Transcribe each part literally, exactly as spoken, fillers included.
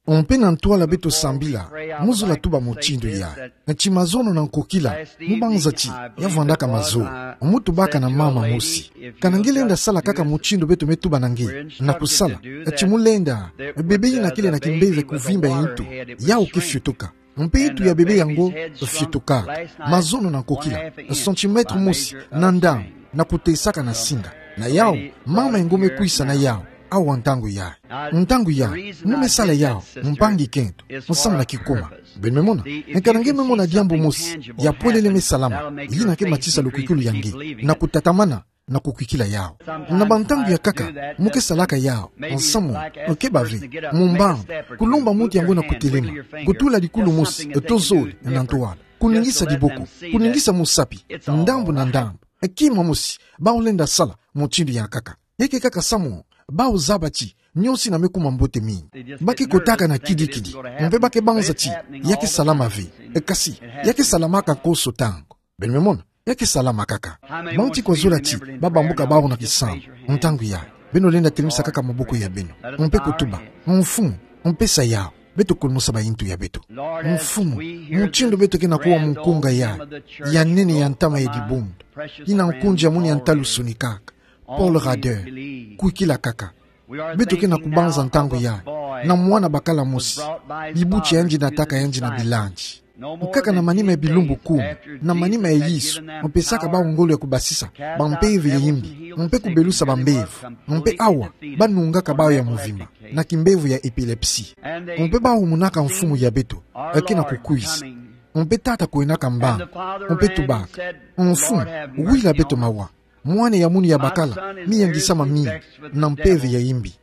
Mpe na ntwala beto sambila, mu zola tuba mutindu ya. Ti mazono na nkokila, mu banza ti, ya vwandaka mazono. Mu tubaka na mama mosi. Kana nge lenda sala kaka mutindu beto me tuba na nge, na kusala. Ti mu lenda, bebe ina kele na kimbeve kuvimba ya ntu, yau ke fiotoka. Mpe ntu ya bebe yango, fiotoka. Mazono na nkokila, centimètre mosi, na ndambu, na kutesaka na singa. Na yau, mama yango me kwisa na yau, awa ntangu ya. Ntangu ya, mu me sala yau, mpangi kento, nsamu na kikuma. Beno me mona, kana nge me mona diambu mosi, ya pwelele me salama, yina ke matisa lukwikulu ya nge, na kutatamana, na kukwikila yau. Na bantangu ya nkaka, mu ke salaka yau, nsamu, ke bave, mu mbangu, kulomba muntu yango na kutelema, kutula dikulu mosi, to zole, na ntwala, kuningisa diboko, kuningisa musapi, ndambu na ndambu, kima mosi, bau lenda sala, mutindu ya nkaka. Ya ke kaka samu, bau zaba ti, nionso ina me kuma mbote mingi. Ba ke kotaka na kidikidi, mpe ba ke banza ti, ya ke salama ve, kasi, ya ke salamaka konso ntangu. Beno me mona, ya ke salama kaka. Bantu kwa zola ti, ba bambuka bau na kisambu, ntangu ya. Beno lenda telemisa kaka maboko ya beno. Mpe kutuba, Mfumu, mpe sa yau. Beto kulumusa ba ntu ya beto. Mfumu, mutindu beto ke na kuwa mu nkunga ya, ya nene ya ntama ya dibundu. Ina nkunzi ya mwini ya ntalusuni kaka. Paul Rader, kwikila kaka. Beto ke na kubanza ntangu ya, na mwana bakala mosi, bibuti yandi na tata yandi na bilanzi. Nkaka na manima ya bilumbu kumi, na manima ya Yesu, mupesaka bau ngolo ya kubasisa bampeve ya imbi, mpe kubelusa bambevo, mpe awa, ba nungaka bau ya muvimba, na kimbevo ya epilepsie. Mpe bau monaka Mfumu ya beto, ke na kukwisa. Mpe tata kuwenaka mbangu, mpe tubaka, Mfumu, wila beto mawa. Mwana ya mwini ya bakala, mi yangisama mingi, na mpeve ya imbi.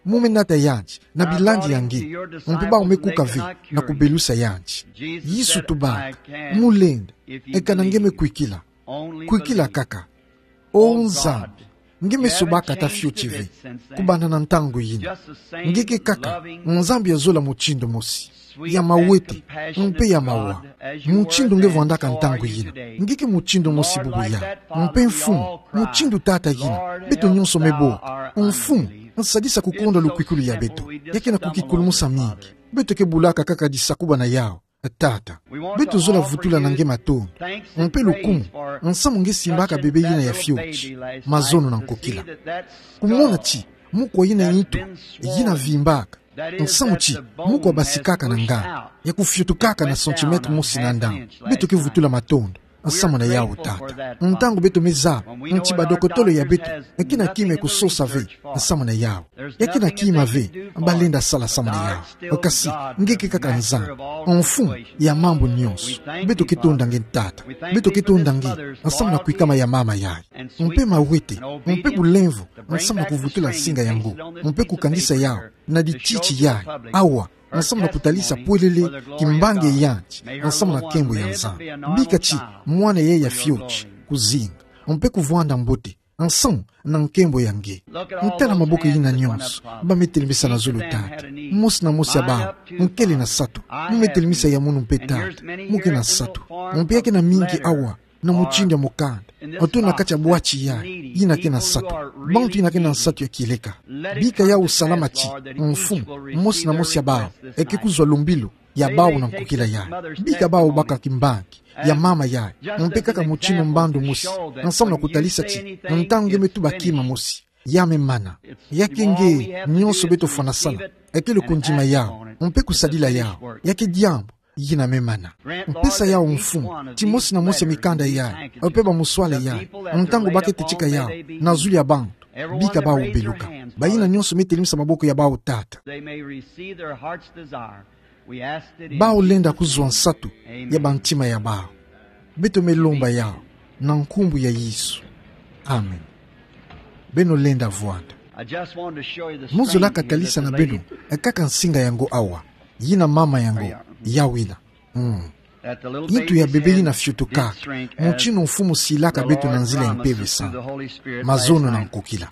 Mu me nata yandi, na bilanzi ya nge, mpe bau me kuka ve, na kubelusa yandi. Yesu tubaka, mu lenda, kana nge me kwikila. Kwikila kaka. O Nzambi, nge me sobaka ata fioti ve, kubanda na ntangu yina. Nge ke kaka, Nzambi ya zola mutindu mosi. Ya mawete, mpe ya mawa. Mutindu nge vwandaka ntangu yina. Nge ke mutindu mosi bubu ya. Mpe Mfumu, mutindu tata yina. Beto nionso me boka. Mfumu, nsadisa kukonda lukwikulu ya beto. Ya ke na kukikulumusa mingi. Beto ke bulaka kaka disakuba na yau. Tata. Beto zola vutula na nge matondo. Mpe lukumu, nsamu nge simbaka bebe yina ya fioti. Mazono na nkokila. Kumona ti, mu kwa yina ntu, yina vimbaka. Nsamu ti, mu kwa basikaka na nganda, ya kufiotukaka na centimètre mosi na ndambu. Beto ke vutula matondo, nsamu na yau tata. Ntangu beto me zaba, nti badokotolo ya beto, ke na kima ya kusosa ve, nsamu na yau. Ya ke na kima ve, ba lenda sala nsamu na yau. Kasi, nge ke kaka Nzambi, Mfumu ya mambu nionso. Beto ke tonda nge tata. Beto ke tonda nge, nsamu na kwikama ya mama yai. Mpe mawete, mpe bulemvo, nsamu na kuvutula nsinga yango. Mpe kukangisa yau, na dititi yai, awa, nsamu na kutalisa pwelele, kimbangi yandi, nsamu na nkembo ya Nzambi. Bika ti, mwana yai ya fioti, kuzinga, mpe kuvwanda mbote, nsamu na nkembo ya nge. Ntala maboko yina nionso, ba me telemisa na zulu tata. Mosi na mosi ya bau, nkele na sato, mu me telemisa ya munu mpe tata, mu ke na sato. Mpe ya ke na mingi awa, na mutindu ya mukanda. Oto na kati ya bwati yai, yina ke na sato. Bantu yina ke na nsatu ya kieleka. Bika yau salama ti, Mfumu, mosi na mosi ya bau, eke kuzwa lumbilu, ya bau na nkokila yai. Bika bau baka kimbangi, ya mama yai, mpe kaka mutindu mbandu mosi, nsamu na kutalisa ti, ntangu nge me tuba kima mosi, ya me mana. Ya ke nge, nionso beto fwana sala, eke lukundima yau, mpe kusadila yau, ya ke diambu, yina me mana. Mpesa yau Mfumu, ti mosi na mosi ya mikanda yai, mpe bamuswale yai, ntangu ba ke tetika yau, na zulu ya bantu, bika bau beluka. Bayina nionso me telemisa maboko ya bau tata. They may receive their heart's desire. We ask it in Bau lenda Jesus' kuzwa name. Nsatu, Amen. Ya bantima ya bau. Beto me lomba yau, na nkumbu ya Yesu. Amen. Beno lenda vwanda. I just wanted to show you the Mu zolaka strange thing talisa that na the beno, lady e kaka nsinga yango awa. Yina mama yango, yawina. Mm. Nitu ya bebe yina fiotukaka, mutinu Mfumu silaka beto na nzila ya Mpeve Santu. Mazono na nkokila.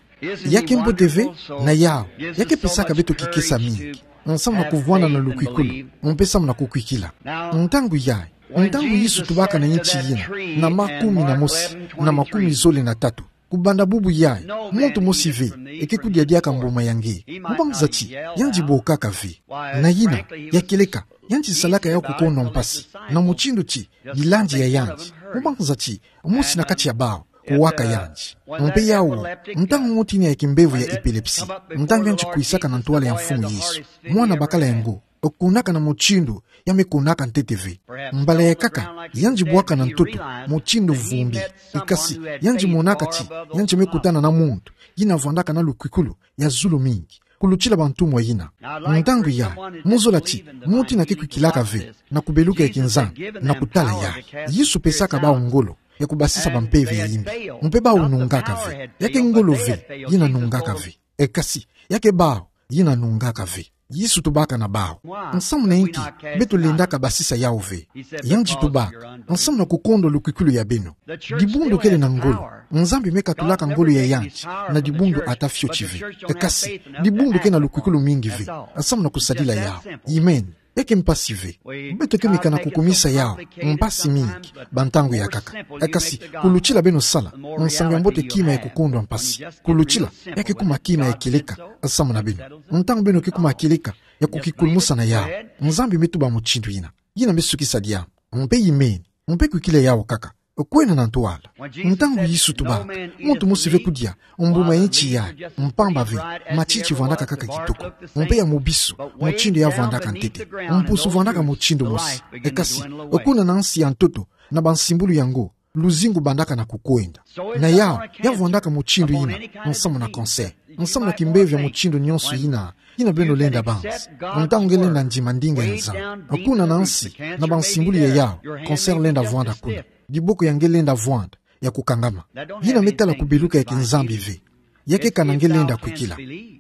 Ya ke mbote ve, na yau, ya ke pesaka beto kikesa mingi. Nsamu na kuvwanda na lukwikulu, mpe samu na kukwikila. Ntangu yai, ntangu Yesu tubaka na nti yina, na makumi na mosi, na makumi zole na tatu. Kubanda bubu yayi, muntu mosi ve eke kudia diaka mbuma ya nge. Mubanza ti yandi bokaka ve. Na yina, ya kieleka, yandi salaka yawu kukondwa mpasi na mutindu ti yilandi ya yandi. Mubanza ti mosi na kati ya bawu kuwaka yandi. Mpe yawu, ntangu ngoti ina ya kimbevo ya epilepsie, ntangu yandi kwisaka na ntwala ya Mfumu Yesu, mwana bakala yango kunaka na mutindu ya me kunaka ntete ve. Mbala ya nkaka, yandi bwaka na ntoto mutindu vumbi. Ekasi, yandi monaka ti yandi me kutana na muntu ina vwandaka na lukwikulu ya zulu mingi kulutila bantumwa ina. Ntangu yayi, mu zola ti muntu ina ke kwikilaka ve na kubeluka ya kinzambi na kutala yayi. Yesu pesaka bawu ngolo ya kubasisa bampeve ya yimbi. Mpe bawu nungaka ve. Ya ke ngolo ve ina nungaka ve. Ekasi, ya ke bawu ina nungaka ve. Yesu tubaka na bawu: Nsamu na inki beto lendaka basisa yawu ve? Yandi tubaka: Nsamu na kukondwa lukwikulu ya beno. Dibundu kele na ngolo. Nzambi me katulaka ngolo ya yandi na dibundu ata fioti ve. Ekasi, dibundu ke na lukwikulu mingi ve. Nsamu na kusadila yawu. Amen. Ya ke mpasi ve. Beto ke meka na kukumisa yawu mpasi mingi bantangu ya nkaka. Ekasi, kulutila beno sala nsangu ya mbote kima ya kukondwa mpasi. Kulutila, ya ke kuma kima ya kieleka nsamu na beno. Ntangu beno ke kuma kieleka ya kukikulumusa na yawu, Nzambi me tuba mutindu ina. Ina me sukisa diambu. Mpe amen. Mpe kwikila yawu nkaka. Kwena na ntwala. Ntangu Yesu tubaka: Muntu mosi ve kudia mbuma ya nti yayi, mpamba ve matiti vwandaka nkaka kitoko, mpe ya mobisu, mutindu ya vwandaka ntete. Mpusu vwandaka mutindu mosi. Ekasi, kuna na nsi ya ntoto, na bansimbulu yango, luzingu bandaka na kukwenda. Na yawu, ya vwandaka mutindu ina nsamu na cancer, nsamu na kimbevo ya mutindu nionso ina, ina beno lenda banza. Ntangu nge lenda ndima ndinga ya Nzambi, kuna na nsi, na bansimbulu ya yawu, cancer lenda vwanda kuna. Diboko ya nge lenda vwanda ya kukangama. Ina me tala kubeluka ya kinzambi ve. Ya ke kana nge lenda kwikila.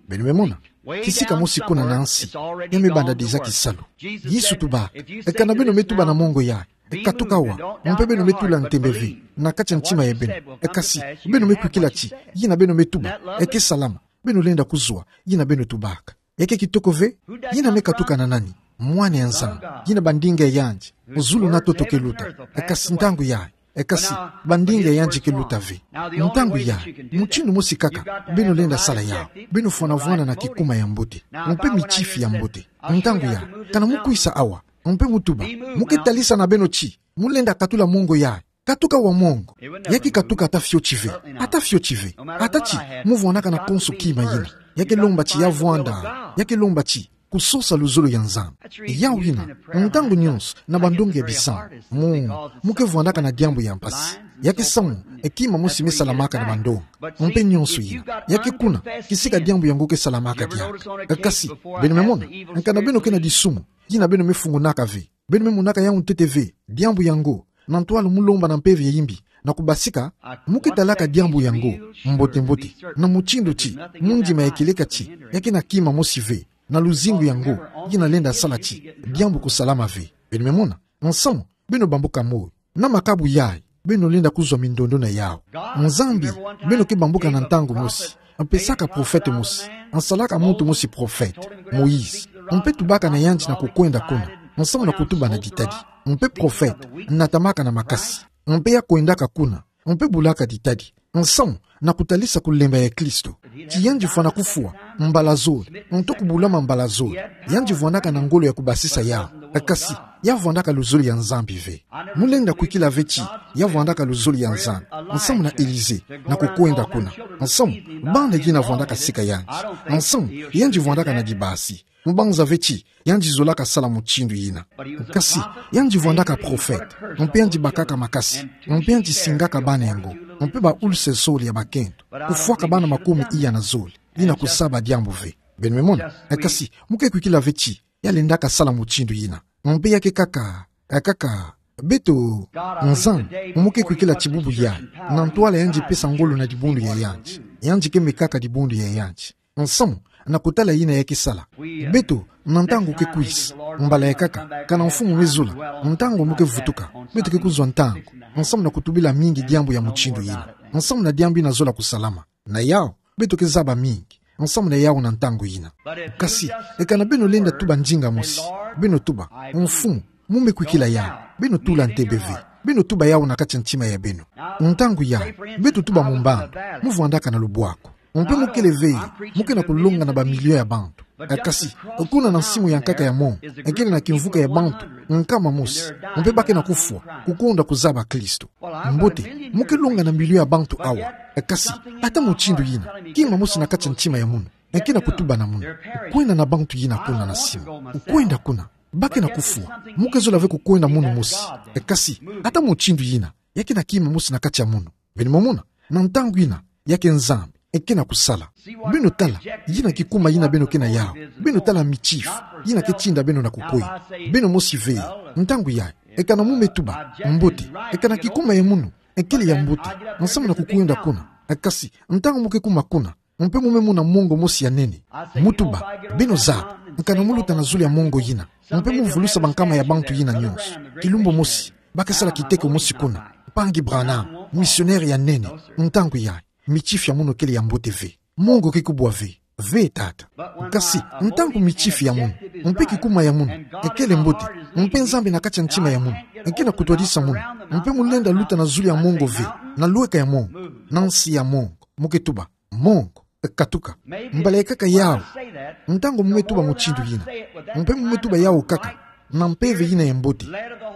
Beno me mona? Kisika mosi kuna na nsi, ya me banda déjà kisalu. Yesu tubaka: Kana beno me tuba na mongo yayi: Katuka awa, mpe beno me tula ntembe ve na kati ya ntima ya beno. Ekasi, beno me kwikila ti ina beno me tuba, e ke salama. Beno lenda kuzwa ina beno tubaka. Ya ke kitoko ve? Ina me katuka na nani? Mwana ya Nzambi. Ina bandinga ya yandi, zulu na ntoto ke luta. Ekasi ntangu yayi, ekasi bandinga ya yandi ke luta ve. Ntangu yayi, mutindu mosi nkaka beno lenda sala yawu: beno fwanavwana na kikuma ya mbote, mpe mitifi ya mbote. Ntangu yayi, kana mu kwisa awa, mpe mu tuba, mu ke talisa na beno ti mu lenda katula mongo yayi: Katuka awa mongo. Ya ke katuka ata fioti ve. Ata fioti ve. Ata ti mu vwandaka na konso kima ina, ya ke lomba ti ya vwanda, ya ke lomba ti kusosa luzolo ya Nzambi. Yawu ina, ntangu nionso na bandongi ya bisambu, mu, mu ke vwandaka na diambu ya mpasi. Ya ke samu, e kima mosi me salamaka na bandongi. Mpe nionso ina, ya ke kuna kisika diambu yango ke salamaka diaka. Ekasi, beno me mona, kana beno ke na disumu, ina beno me fungonaka ve, beno me monaka yawu ntete ve diambu yango, na ntwala mu lomba na mpeve ya yimbi na kubasika, mu ke talaka diambu yango mbote-mbote, na mutindu ti mu ndima ya kieleka ti ya ke na kima mosi ve na luzingu yango ina lenda sala ti diambu kusalama ve. Beno me mona? Nsamu, beno bambuka moyo. Na makabu yayi, beno lenda kuzwa mindondo na yawu. Nzambi, beno ke bambuka na ntangu mosi, mpesaka profete mosi, nsalaka muntu mosi profete, Moïse. Mpe tubaka na yandi na kukwenda kuna, nsamu na kutuba na ditadi. Mpe profete natamaka na makasi, mpe ya kwendaka kuna, mpe bulaka ditadi, nsamu na kutalisa kulemba ya Kristo, ti yandi fwana kufwa mbala zole, nto kubulama mbala zole. Yandi vwandaka na ngolo ya kubasisa yawu. Ekasi, ya vwandaka luzolo ya Nzambi ve. Mu lenda kwikila ve ti ya vwandaka luzolo ya Nzambi, nsamu na Élysée, na kukwenda kuna, nsamu bana ina vwandaka sika yandi, nsamu yandi vwandaka na dibasi. Mu banza ve ti yandi zolaka sala mutindu ina. Kasi, yandi vwandaka profete, mpe yandi bakaka makasi, mpe yandi singaka bana yango, mpe ba-ulcère zole ya bakento, kufwaka bana makumi iya na zole, ina kusaba diambu ve. Beno me mona? Ekasi, mu ke kwikila ve ti ya lendaka sala mutindu ina. Mpe ya ke nkaka, e nkaka, beto, Nzambi, mu ke kwikila ti bubu yayi, na ntwala yandi pesa ngolo na dibundu ya yandi, yandi ke mekaka dibundu ya yandi. Nsamu na kutala ina ya ke sala. Beto, na ntangu ke kwisa, mbala ya nkaka, kana Mfumu me zola, ntangu mu ke vutuka, beto ke kuzwa ntangu, nsamu na kutubila mingi diambu ya mutindu ina, nsamu na diambu ina zola kusalama. Na yawu, beto ke zaba mingi nsamu na yawu na ntangu ina. Kasi, e kana beno lenda tuba ndinga mosi, beno tuba: Mfumu, mu me kwikila yawu, beno tula ntembe ve. Beno tuba yawu na kati ya ntima ya beno. Ntangu yayi, beto tuba mu mbandu, mu vwandaka na lubwaku. Mpe mu kele ve, mu ke na kulonga na bamilio ya bantu. Kasi, kuna na nsimu ya nkaka ya mongo, e kele na kimvuka ya bantu nkama mosi, mpe ba ke na kufwa, kukonda kuzaba Kristo. Mbote, mu ke longa na milio ya bantu awa. Kasi, ata mutindu yina, kima mosi na kati ya ntima ya munu e ke na kutuba na munu: Kwenda na bantu yina kuna na nsimu. Kwenda kuna. Ba ke na kufwa. Mu ke zola ve kukwenda munu mosi. Kasi, ata mutindu yina, ya ke na kima mosi na kati ya munu. Beno mona, na ntangu yina, ya ke Nzambi e ke na kusala. Beno tala, yina kikuma yina beno ke na yawu. Beno tala mitifi yina ke tinda beno na kukwenda. Beno mosi ve, ntangu yayi, e kana mu me tuba: Mbote, e kana kikuma ya munu e kele ya mbote, nsamu na kukwenda kuna. Kasi, ntangu mu ke kuma kuna, mpe mu me mona mongo mosi ya nene, mu tuba: Beno zaba, nkana mu luta na zulu ya mongo yina, mpe mu vulusa bankama ya bantu yina nyonso, kilumbu mosi, ba ke sala kiteko mosi kuna: Mpangi Branham, misionere ya nene. Ntangu yayi, mitifi ya munu kele ya mbote ve. Mongo ke kubwa ve. Ve, tata. Kasi, ntangu mitifi ya munu, mpe kikuma ya munu e kele mbote, mpe Nzambi na kati ya ntima ya munu e ke na kutwadisa munu, mpe mu lenda luta na zulu ya mongo ve, na lweka ya mongo, na nsi ya mongo, mu ke tuba: Mongo, katuka. Mbala ya nkaka yawu, ntangu mu me tuba mutindu yina, mpe mu me tuba yawu kaka, na mpeve yina ya mbote,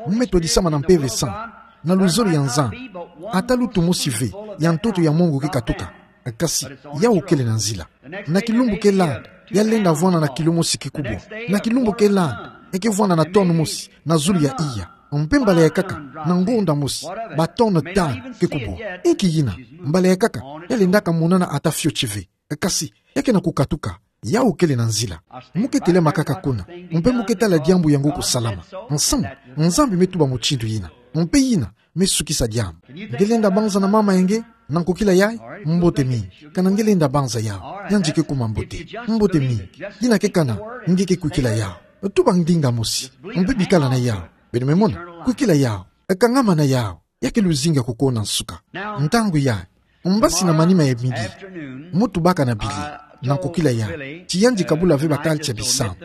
mu me twadisama na Mpeve Santa, na luzolo ya Nzambi, ata lutu mosi ve ya ntoto ya mongo ke katuka. Kasi, yawu kele na nzila. Na kilumbu ke landa, ya lenda vwanda na kilo mosi kikubwa. Na kilumbu ke landa, e ke vwanda na tonne mosi na zulu ya iya. Mpe mbala ya nkaka, na ngonda mosi, ba tonne tanu kikubwa. Inki yina? Mbala ya nkaka, ya lendaka monana ata fioti ve. Kasi, ya ke na kukatuka. Yawu kele na nzila. Mu ke telama kaka kuna, mpe mu ke tala diambu yango kusalama. Nsamu, Nzambi me tuba mutindu yina. Mpe yina me sukisa diambu. Nge lenda banza na mama ya nge na nkokila yayi? Mbote mingi. Kana nge lenda banza yawu, yandi ke kuma mbote. Mbote mingi. Yina ke kana nge ke kwikila yawu. Tuba ndinga mosi, mpe bikala na yawu. Beno me mona, kwikila yawu, kangama na yawu, ya ke luzinga kukona nsuka. Ntangu yayi, mbasi na manima ya midi, mu tubaka na Billy na nkokila yayi, ti yandi kabula ve ba quartier bisambu.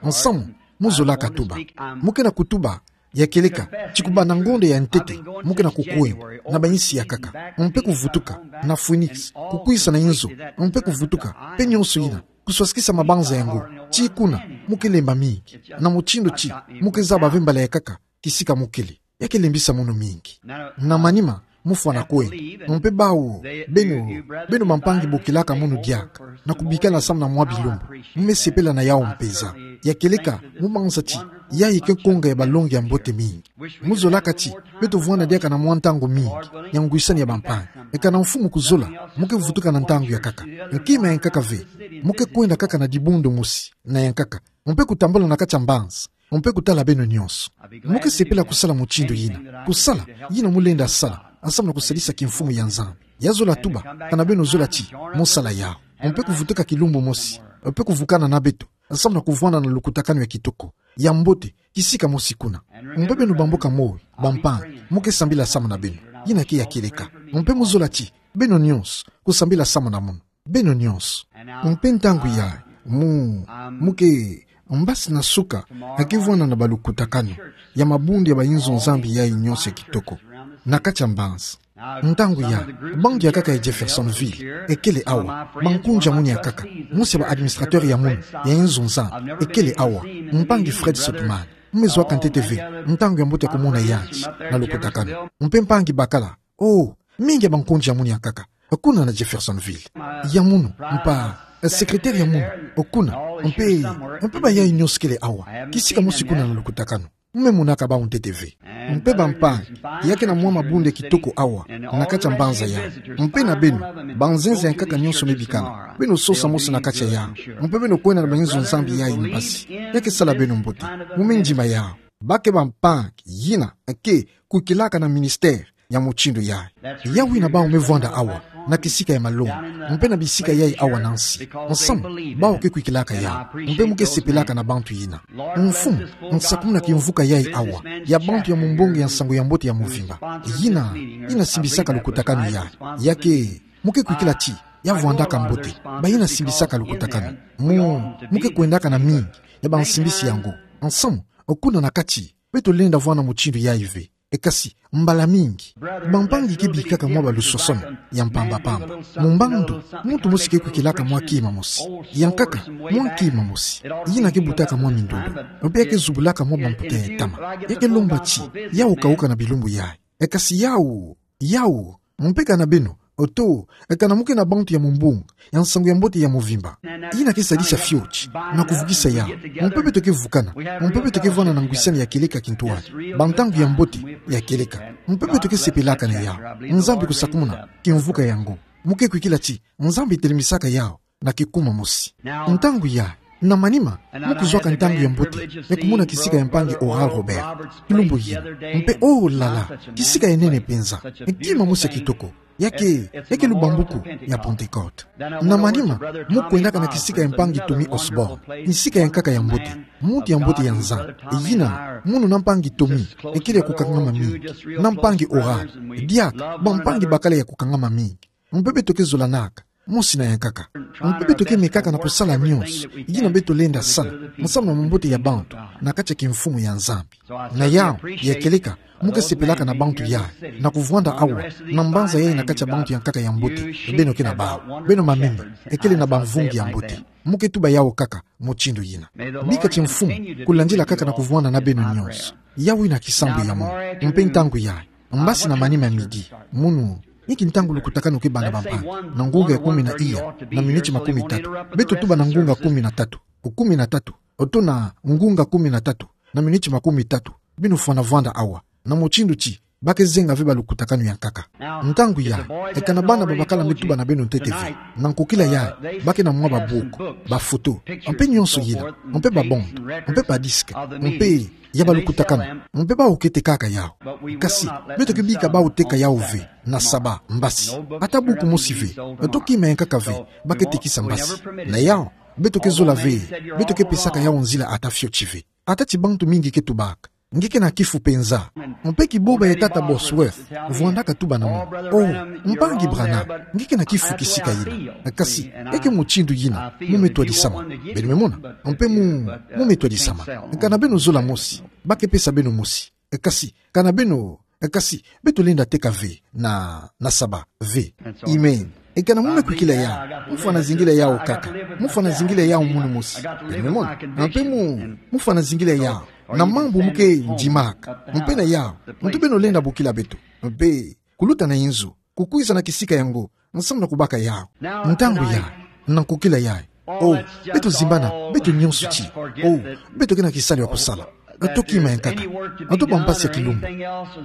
Nsamu, mu zolaka tuba. Mu ke na kutuba, ya kieleka, ti kubanda ngonda ya ntete, mu ke na kukwenda na ba insi ya nkaka, mpe kuvutuka na Phoenix, kukwisa na inzo, mpe kuvutuka, mpe nyonso yina, kuswasikisa mabanza yango. Ti kuna, mu ke lemba mingi, na mutindu ti mu ke zaba ve mbala ya nkaka kisika mu kele. Ya ke lembisa munu mingi. Na manima, mu fwana kwenda. Mpe bawu, beno, beno bampangi bokilaka munu diaka, na kubikala samu na mwa bilumbu, mu me sepela na yawu mpeza. Ya kieleka, mu banza ti yayi ke nkonga ya balongi ya mbote mingi. Mu zolaka ti beto vwanda diaka na mwa ntangu mingi ya ngwisani ya bampangi. Kana Mfumu kuzola, mu ke vutuka na ntangu ya nkaka. Kima ya nkaka ve, mu ke kwenda kaka na dibundu mosi na ya nkaka, mpe kutambula na kati ya mbanza, mpe kutala beno nyonso. Mu ke sepela kusala mutindu yina, kusala yina mu lenda sala, samu na kusalisa kimfumu ya Nzambi. Ya zola tuba, kana beno zola ti mu sala yawu, mpe kuvutuka kilumbu mosi, mpe kuvukana na beto, samu na kuvwanda na lukutakanu ya kitoko, ya mbote, kisika mosi kuna. Mpe beno bamboka moyo, bampangi, mu ke sambila samu na beno. Yina ke ya kieleka. Mpe mu zola ti beno nyonso kusambila samu na munu. Beno nyonso. Mpe ntangu yayi, mu, mu ke, mbasi na suka, e ke vwanda na balukutakanu ya mabundu ya ba inzo Nzambi yayi nyonso ya kitoko na kati ya mbanza. Ntangu yayi, bantu ya nkaka ya Jeffersonville e kele awa. Bankunzi ya munu ya nkaka, mosi ya ba administrateur ya munu ya inzo Nzambi, e kele awa. Mpangi Fred Soutman, mu me zwa ka ntete ve ntangu ya mbote ya kumona yandi na lukutakanu. Mpe mpangi bakala, oh, mingi ya bankunzi ya munu ya nkaka kuna na Jeffersonville. Ya munu, mpa, secrétaire ya munu, kuna, mpe, mpe bayayi nyonso kele awa, kisika mosi kuna na lukutakanu. Mu me monaka bawu ntete ve. Mpe bampangi, ya ke na mwa mabundu ya kitoko awa na kati ya mbanza yayi. Mpe na beno, banzenza ya nkaka nyonso me bikana, beno sosa mosi na kati ya yawu. Mpe beno kwenda na ba inzo Nzambi yayi mbasi. Ya ke sala beno mbote. Mu me ndima yawu. Ba ke bampangi yina ke kwikilaka na ministère ya mutindu yayi. Yawu yina bawu me vwanda awa na kisika ya malongi, mpe na bisika yayi awa na nsi. Nsamu, bawu ke kwikilaka yawu, mpe mu ke sepelaka na bantu yina. Mfumu, nsakumuna kimvuka yayi awa ya bantu ya mumbongi ya nsangu ya mbote ya mvimba. Yina, yina simbisaka lukutakanu yayi. Ya ke, mu ke kwikila ti ya vwandaka mbote, bayina simbisaka lukutakanu. Mu, mu ke kwendaka na mingi ya bansimbisi yango. Nsamu, kuna na kati, beto lenda vwanda mutindu yayi ve. E kasi, mbala mingi, bampangi ke bikaka mwa balusosono ya mpamba-pamba. Mu mbandu, muntu mosi ke kwikilaka mwa kima mosi. Yankaka, mwa kima mosi. Yina ke butaka mwa mindundu. Mpe ya ke zubulaka mwa bamputa ya ntama. Ya ke lomba ti, yau kauka na bilumbu yayi. E kasi yau, yau, mpe kana beno, oto, e kana mu ke na bantu ya mumbunga, ya nsangu ya mbote ya muvimba. Yina ke sadisa fioti, na kuvukisa yau. Mpe beto ke vukana, mpe beto ke vwanda na ngwisani ya kieleka kintwadi. Bantangu ya mbote, ya kieleka. Mpe beto ke sepelaka na yau. Nzambi kusakumuna, kimvuka yango. Mu ke kwikila ti, Nzambi telemisaka yau na kikuma mosi. Ntangu yayi, na manima, mu kuzwaka ntangu ya mbote ya kumona kisika ya mpangi Oral Roberts. Kilumbu yina. Mpe, oh là là, kisika ya nene penza. Kima mosi ya kitoko. Ya ke, ya ke lubambuku ya Pentecôte. Na manima, mu kwendaka na kisika ya mpangi Tommy Osborn. Kisika ya nkaka ya mbote. Muntu ya mbote ya Nzambi. Yina, munu na mpangi Tommy, ekele ya kukangama mingi. Na mpangi Oral, diaka, bampangi bakala ya kukangama mingi. Mpe beto ke zolanaka, mosi na yankaka. Mpe beto ke mekaka na kusala nyonso yina beto lenda sala, nsamu na bumbote ya bantu, na kati ya kimfumu ya Nzambi. Na yau, ya kieleka, mu ke sepelaka na bantu yayi, na kuvwanda awa, na mbanza yayi na kati ya bantu ya nkaka ya mbote, beno ke na bau, beno mameme, ekele na bamvungi ya mbote. Mu ke tuba yau kaka, mutindu yina. Bika ti Mfumu kulandila kaka na kuvwanda na beno nyonso. Yau yina kisambu ya munu. Mpe ntangu yayi, mbasi na manima ya midi, munu, niki ntangu lukutakanu ke banda bampangi, na ngunga ya kumi na iya, na miniti makumi tatu. Beto tuba na ngunga kumi na tatu. Ku kumi na tatu. Oto na ngunga kumi na tatu, na miniti makumi tatu. Beno fwana vwanda awa. Na mutindu ti, ba ke zenga ve balukutakanu ya nkaka. Ntangu yayi, e kana bana babakala me tuba na beno ntete ve. Na nkokila yayi, ba ke na mwa babuku, bafoto, mpe nyonso yina, mpe babande, mpe badisque, mpe ya balukutakanu, mpe bawu ke tekaka yau. Kasi, beto ke bika bawu teka yau ve, na saba, mbasi. Ata buku mosi ve, oto kima ya nkaka ve, ba ke tekisa mbasi. Na yau, beto ke zola ve, beto ke pesaka yau nzila ata fioti ve. Ata ti bantu mingi ke tubaka. Nge ke na kifu penza. Mpe kiboba ya tata Bosworth, vwandaka tuba na munu. Oh, mpangi Branham, nge ke na kifu kisika yina. Kasi, ya ke mutindu yina, mu me twadisama. Beno me mona, mpe mu, mu me twadisama. Kana beno zola mosi, ba ke pesa beno mosi. Kasi, kana beno, kasi, beto lenda teka ve, na, na saba, ve. Amen. E kana mu me kwikila yau, mu fwana zingila yau kaka, mu fwana zingila yau munu mosi. Beno me mona, mpe mu, mu fwana zingila yau, na mambu mu ke ndimaka, mpe na yau, ntu beno lenda bokila beto, mpe, kuluta na inzo, kukwiza na kisika yango, nsamu na kubaka yau. Ntangu yayi, na nkokila yayi. Oh, beto zimbana, beto nyonso ti. Oh, beto ke na kisalu ya kusala. Oto kima ya nkaka. Oto bampasi ya kilumbu.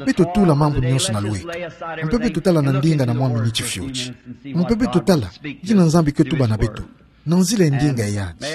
Beto tula mambu nyonso na lweka. Mpe beto tala na ndinga na mwa miniti fioti. Mpe beto tala, yina Nzambi ke tuba na beto. Na nzila ya ndinga ya yandi.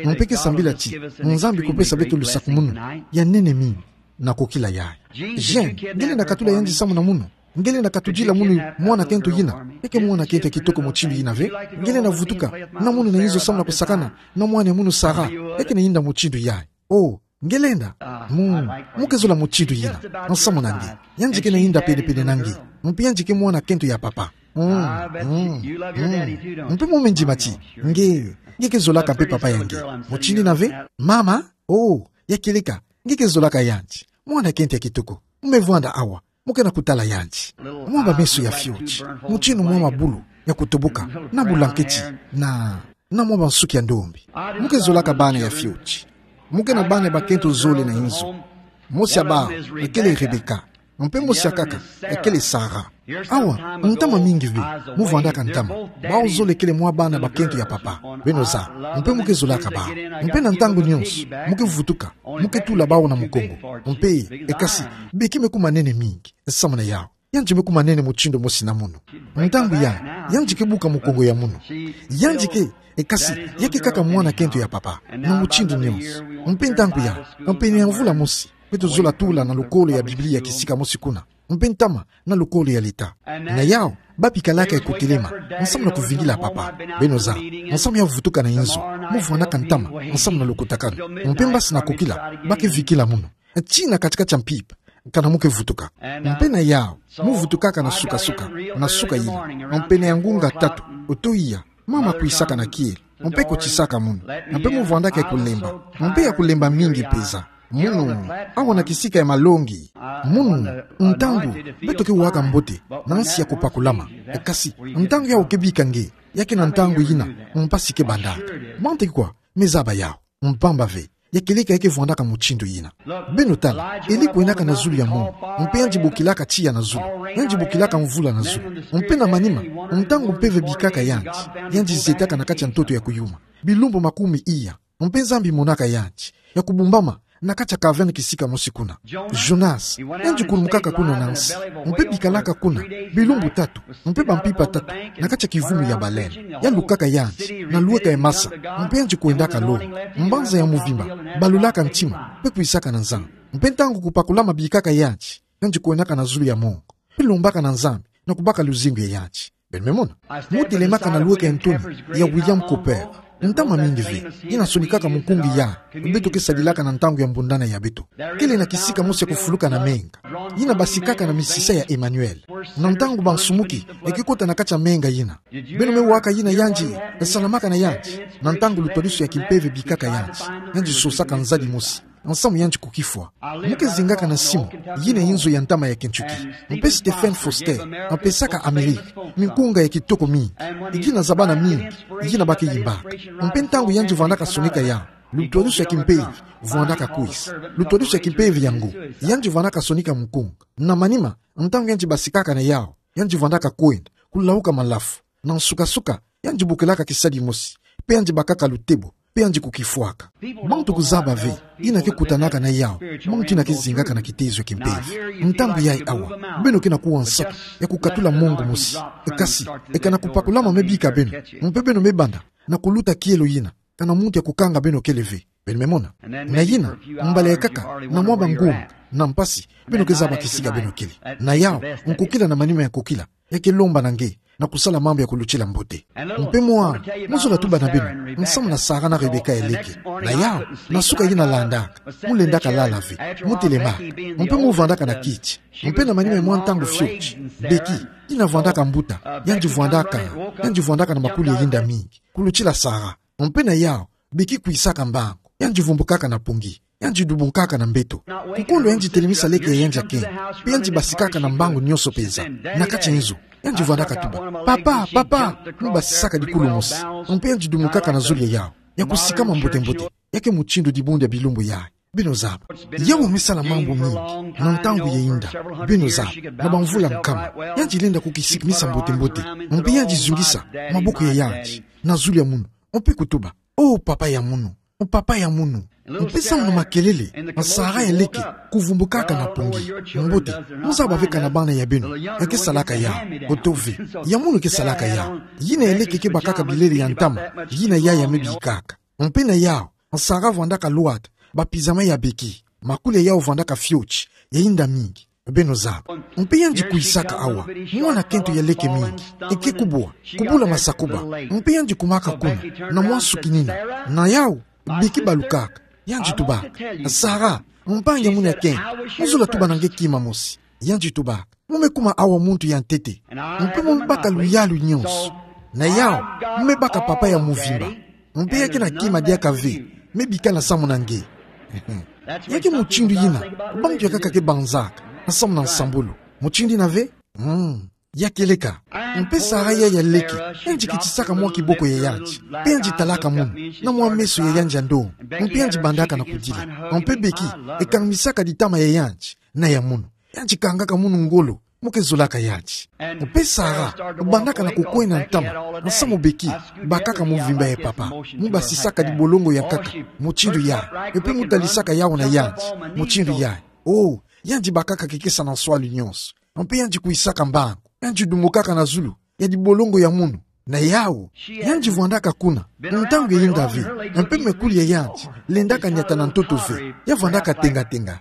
Mpe ke sambila ti, Nzambi kupesa beto lusakumunu ya nene mingi. Na kokila yayi. Jean, nge lenda katula yandi samu na munu. Nge lenda katudila munu mwana kento yina. Ya ke mwana kento ya kitoko mutindu yina ve. Nge lenda vutuka na munu na inzo samu na kusakana na mwana ya munu Sarah. Ya ke na yinda mutindu yayi. Oh, nge lenda. Mu, mu ke zola mutindu yina. Nsamu na nge. Yandi ke na yinda pene-pene na nge. Mpe yandi ke mwana kento ya papa. Mm, mm, mm. Mpe mu me ndima ti, nge, nge ke zolaka mpe papa ya nge. Mutindu yina ve, mama, oh, ya kieleka, nge ke zolaka yandi. Mwana kento ya kitoko. Mu me vwanda awa. Mu ke na kutala yandi. Mwa bameso ya fioti. Mutindu mwa mabulu ya kutoboka. Na bulanketi. Na, na mwa bansuki ya ndombi. Mu ke zolaka bana ya fioti. Mu ke na bana bakento zole na inzo. Mosi ya bawu, ekele Rebecca. Mpe mosi ya nkaka, ekele Sarah. Awa, ntama mingi ve, mu vwandaka ntama. Bawu zole kele mwa bana bakento ya papa. Beno zaba, mpe mu ke zolaka bawu. Mpe na ntangu nyonso, mu ke vutuka, mu ke tula bawu na mukongo. Mpe, e kasi, beki me kuma nene mingi, samu na yawu. Yandi me kuma nene mutindu mosi na munu. Ntangu yayi, yandi ke buka mukongo ya munu. Yandi ke, e kasi, ya ke kaka mwana kento ya papa. Na mutindu nyonso. Mpe ntangu yayi, mpe ni ya mvula mosi. Beto zola tula na lukolo ya Biblia kisika mosi kuna. Mpe ntama na lukolo ya leta. Na yawu, ba bikalaka ya kutelema, nsamu na kuvingila papa. Beno zaba, nsamu ya vutuka na inzo, mu vwandaka ntama, nsamu na lukutakanu. Mpe mbasi na kokila, ba ke vikila munu. Tii na kati-kati ya mpimpa, kana mu ke vutuka. Mpe na yawu, mu vutukaka na suka-suka, na suka yina. Mpe na ya ngunga tatu, oto iya, mama kwisaka na kielo, mpe kutisaka munu, mpe mu vwandaka ya kulemba, mpe ya kulemba mingi mpeza. Munu, awa na kisika ya malongi. Munu, ntangu beto ke waka mbote na nsi ya kupakulama. Kasi ntangu yawu ke bika nge, ya ke na ntangu yina mpasi ke bandaka. Mante kwa, me zaba yawu. Mpamba ve, ya kieleka ya ke vwandaka mutindu yina. Beno tala, Eli kwendaka na zulu ya mongo, mpe yandi bokilaka tiya na zulu. Yandi bokilaka mvula na zulu. Mpe na manima, ntangu mpeve bikaka yandi, yandi zetaka na kati ya ntoto ya kuyuma bilumbu makumi iya. Mpe Nzambi monaka yandi ya kubumbama na kati ya kaverne kisika mosi kuna. Jonas, yandi kulumukaka kuna na nsi, mpe bikalaka kuna bilumbu tatu, mpe bampimpa tatu, na kati ya kivumu ya baleine. Ya lukaka yandi na lweka ya masa, mpe yandi kwendaka longo. Mbanza ya mvimba balulaka ntima, mpe kwisaka na Nzambi. Mpe ntangu kupakulama bikaka yandi, yandi kwendaka na zulu ya mongo, mpe lombaka na Nzambi na kubaka luzingu ya yandi. Beno me mona? Mu telemaka na lweka ya ntoni ya William Cowper. Ntama mingi ve yina sonikaka mukunga ya beto ke sadilaka na ntangu ya mbundana ya beto. Kele na kisika mosi ya kufuluka na menga, yina basikaka na misisa ya Emmanuel. Na ntangu bansumuki ya ke kota na kati ya menga yina, beno me waka yina yandi salamaka na yandi. Na ntangu lutwadusu ya kimpeve bikaka yandi, yandi sosaka nzadi mosi, nsamu yandi kukifwa. Mu ke zingaka na simu yina inzo ya ntama ya Kentucky. Mpe Stephen Foster apesaka Amerika minkunga ya kitoko mingi, yina za bana mingi, yina ba ke yimbaka. Mpe ntangu yandi vwandaka sonika yawu, lutwadusu ya kimpeve vwandaka kwisa, lutwadusu ya kimpeve ya ngo. Yandi vwandaka sonika mukunga. Na manima, ntangu yandi basikaka na yawu, yandi vwandaka kwenda kulauka malafu. Na nsuka-nsuka, yandi bokilaka kisadi mosi, mpe yandi bakaka lutebo, mpe yandi kukifwaka. Bantu kuzaba ve yina ke kutanaka na yawu, bantu yina ke zingaka na kitezo ya kimpeve. Ntangu yayi awa, beno ke na kuwa nsatu ya kukatula mongo mosi. Kasi, eka na kupakulama me bika beno, mpe beno me banda na kuluta kielo yina, kana muntu ya kukanga beno kele ve. Beno me mona? Na yina, mbala ya nkaka, na mwa bangunga na mpasi, beno ke zaba kisika beno kele. Na yawu, nkokila na manima ya nkokila ya ke lomba na nge na kusala mambu ya kulutila mbote. Mpe mwa, mu zola tuba na beno nsamu na Sara na Rebeka ya leke. Na yawu, na suka yina landaka, mu lendaka lala ve, mu telema, mpe mu vwandaka na kiti. Mpe na manima ya mwa ntangu fioti, Becky, yina vwandaka mbuta, yandi vwandaka, yandi vwandaka na makuli ya yinda mingi kulutila Sara. Mpe na yawu, Becky kwisaka mbangu, yandi vumbukaka na pongi, yandi dubukaka na mbeto. Kukondwa yandi telemisa leke ya yandi ya nkenge, mpe yandi basikaka na mbangu nyonso penza na kati ya nzo. Yandi vwandaka tuba: "Papa, papa!" Mu basisaka dikulu mosi, mpe yandi dumukaka na zulu ya yawu, ya kusikama mbote-mbote. Ya ke mutindu dibundu ya bilumbu yayi. Beno zaba. Yawu me sala mambu mingi na ntangu ya yinda, beno zaba, na bamvula nkama. Yandi lenda kukisikimisa mbote-mbote, mpe yandi zungisa maboko ya yandi na zulu ya munu, mpe kutuba: "Oh, papa ya munu, oh, papa ya munu." Mpe samu na makelele, Sara ya leke kuvumbukaka na pongi. Mbote, mu zaba ve kana bana ya beno ya ke salaka yawu, oto ve. Ya munu ke salaka yawu. Yina ya leke ke bakaka bilele ya ntama, yina yayi ya me bikaka. Mpe na yawu, Sara vwandaka lwata bapizama ya Becky, makuli ya yawu vwandaka fioti, ya yinda mingi. Beno zaba. Mpe yandi kwisaka awa, mwana kento ya leke mingi, eke kubwa, kubula masakuba. Mpe yandi kumaka kuna na mwa nsuki nina. Na yawu, Becky balukaka, yandi tubaka: "Sara, mpangi ya munu ya nkenge, mu zola tuba na nge kima mosi." Yandi tubaka: "Mu me kuma awa muntu ya ntete, mpe mu me baka luyalu nyonso. Na yawu, mu me baka papa ya mvimba. Mpe ya ke na kima diaka ve me bikana samu na nge." Ya ke mutindu yina bantu ya nkaka ke banzaka na samu na nsambulu. Mutindu yina ve? Mm. Ya kieleka. Mpe Sara yayi ya leke, yandi kitisaka mwa kiboko ya yandi, mpe yandi talaka munu na mwa meso ya yandi ya ndonga, mpe yandi bandaka na kudila. Mpe Becky ekangimisaka ditama ya yandi na ya munu. Yandi kangaka munu ngolo, mu ke zolaka yandi. Mpe Sara bandaka na kukwenda ntama, na samu Becky bakaka mvimba ya papa, mu basisaka dibolongo ya nkaka mutindu yayi, mpe mu talisaka yawu na yandi mutindu yayi. Oh, yandi bakaka kikesa na nswalu nyonso. Mpe yandi kwisaka mbangu, yandi dumukaka na zulu ya dibolongo ya munu. Na yawu, yandi vwandaka kuna ntangu ya yinda ve, mpe makuli ya yandi lendaka niata na ntoto ve. Ya vwandaka tenga-tenga.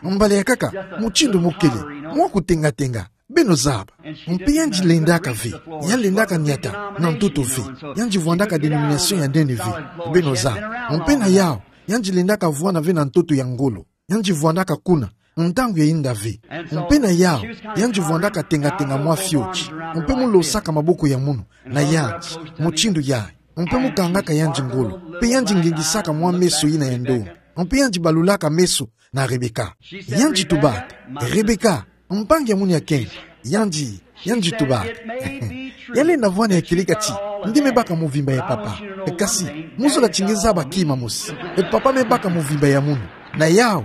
Mbala ya nkaka, mutindu mu kele, mwa kutenga-tenga. Beno zaba. Mpe yandi lendaka ve, ya lendaka niata na ntoto ve. Yandi vwandaka dénomination ya nene ve. Beno zaba. Mpe na yawu, yandi lendaka vwanda ve na ntoto ya ngolo. Yandi vwandaka kuna ntangu ya yinda ve. Mpe na yawu, yandi vwandaka tenga-tenga mwa fioti, mpe mu losaka maboko ya munu na yandi mutindu yayi, mpe mu kangaka yandi ngolo, mpe yandi ngengisaka mwa meso yina ya ndonga. Mpe yandi balulaka meso na Rebeka. Yandi tubaka: "Rebeka, mpangi ya munu ya kenge." Yandi, yandi tubaka: "Ya lenda vwani ya kilika ti nge me baka movimba ya papa. Kasi, mu zola ti nge zaba kima mosi. E papa me baka movimba ya munu. Na yau."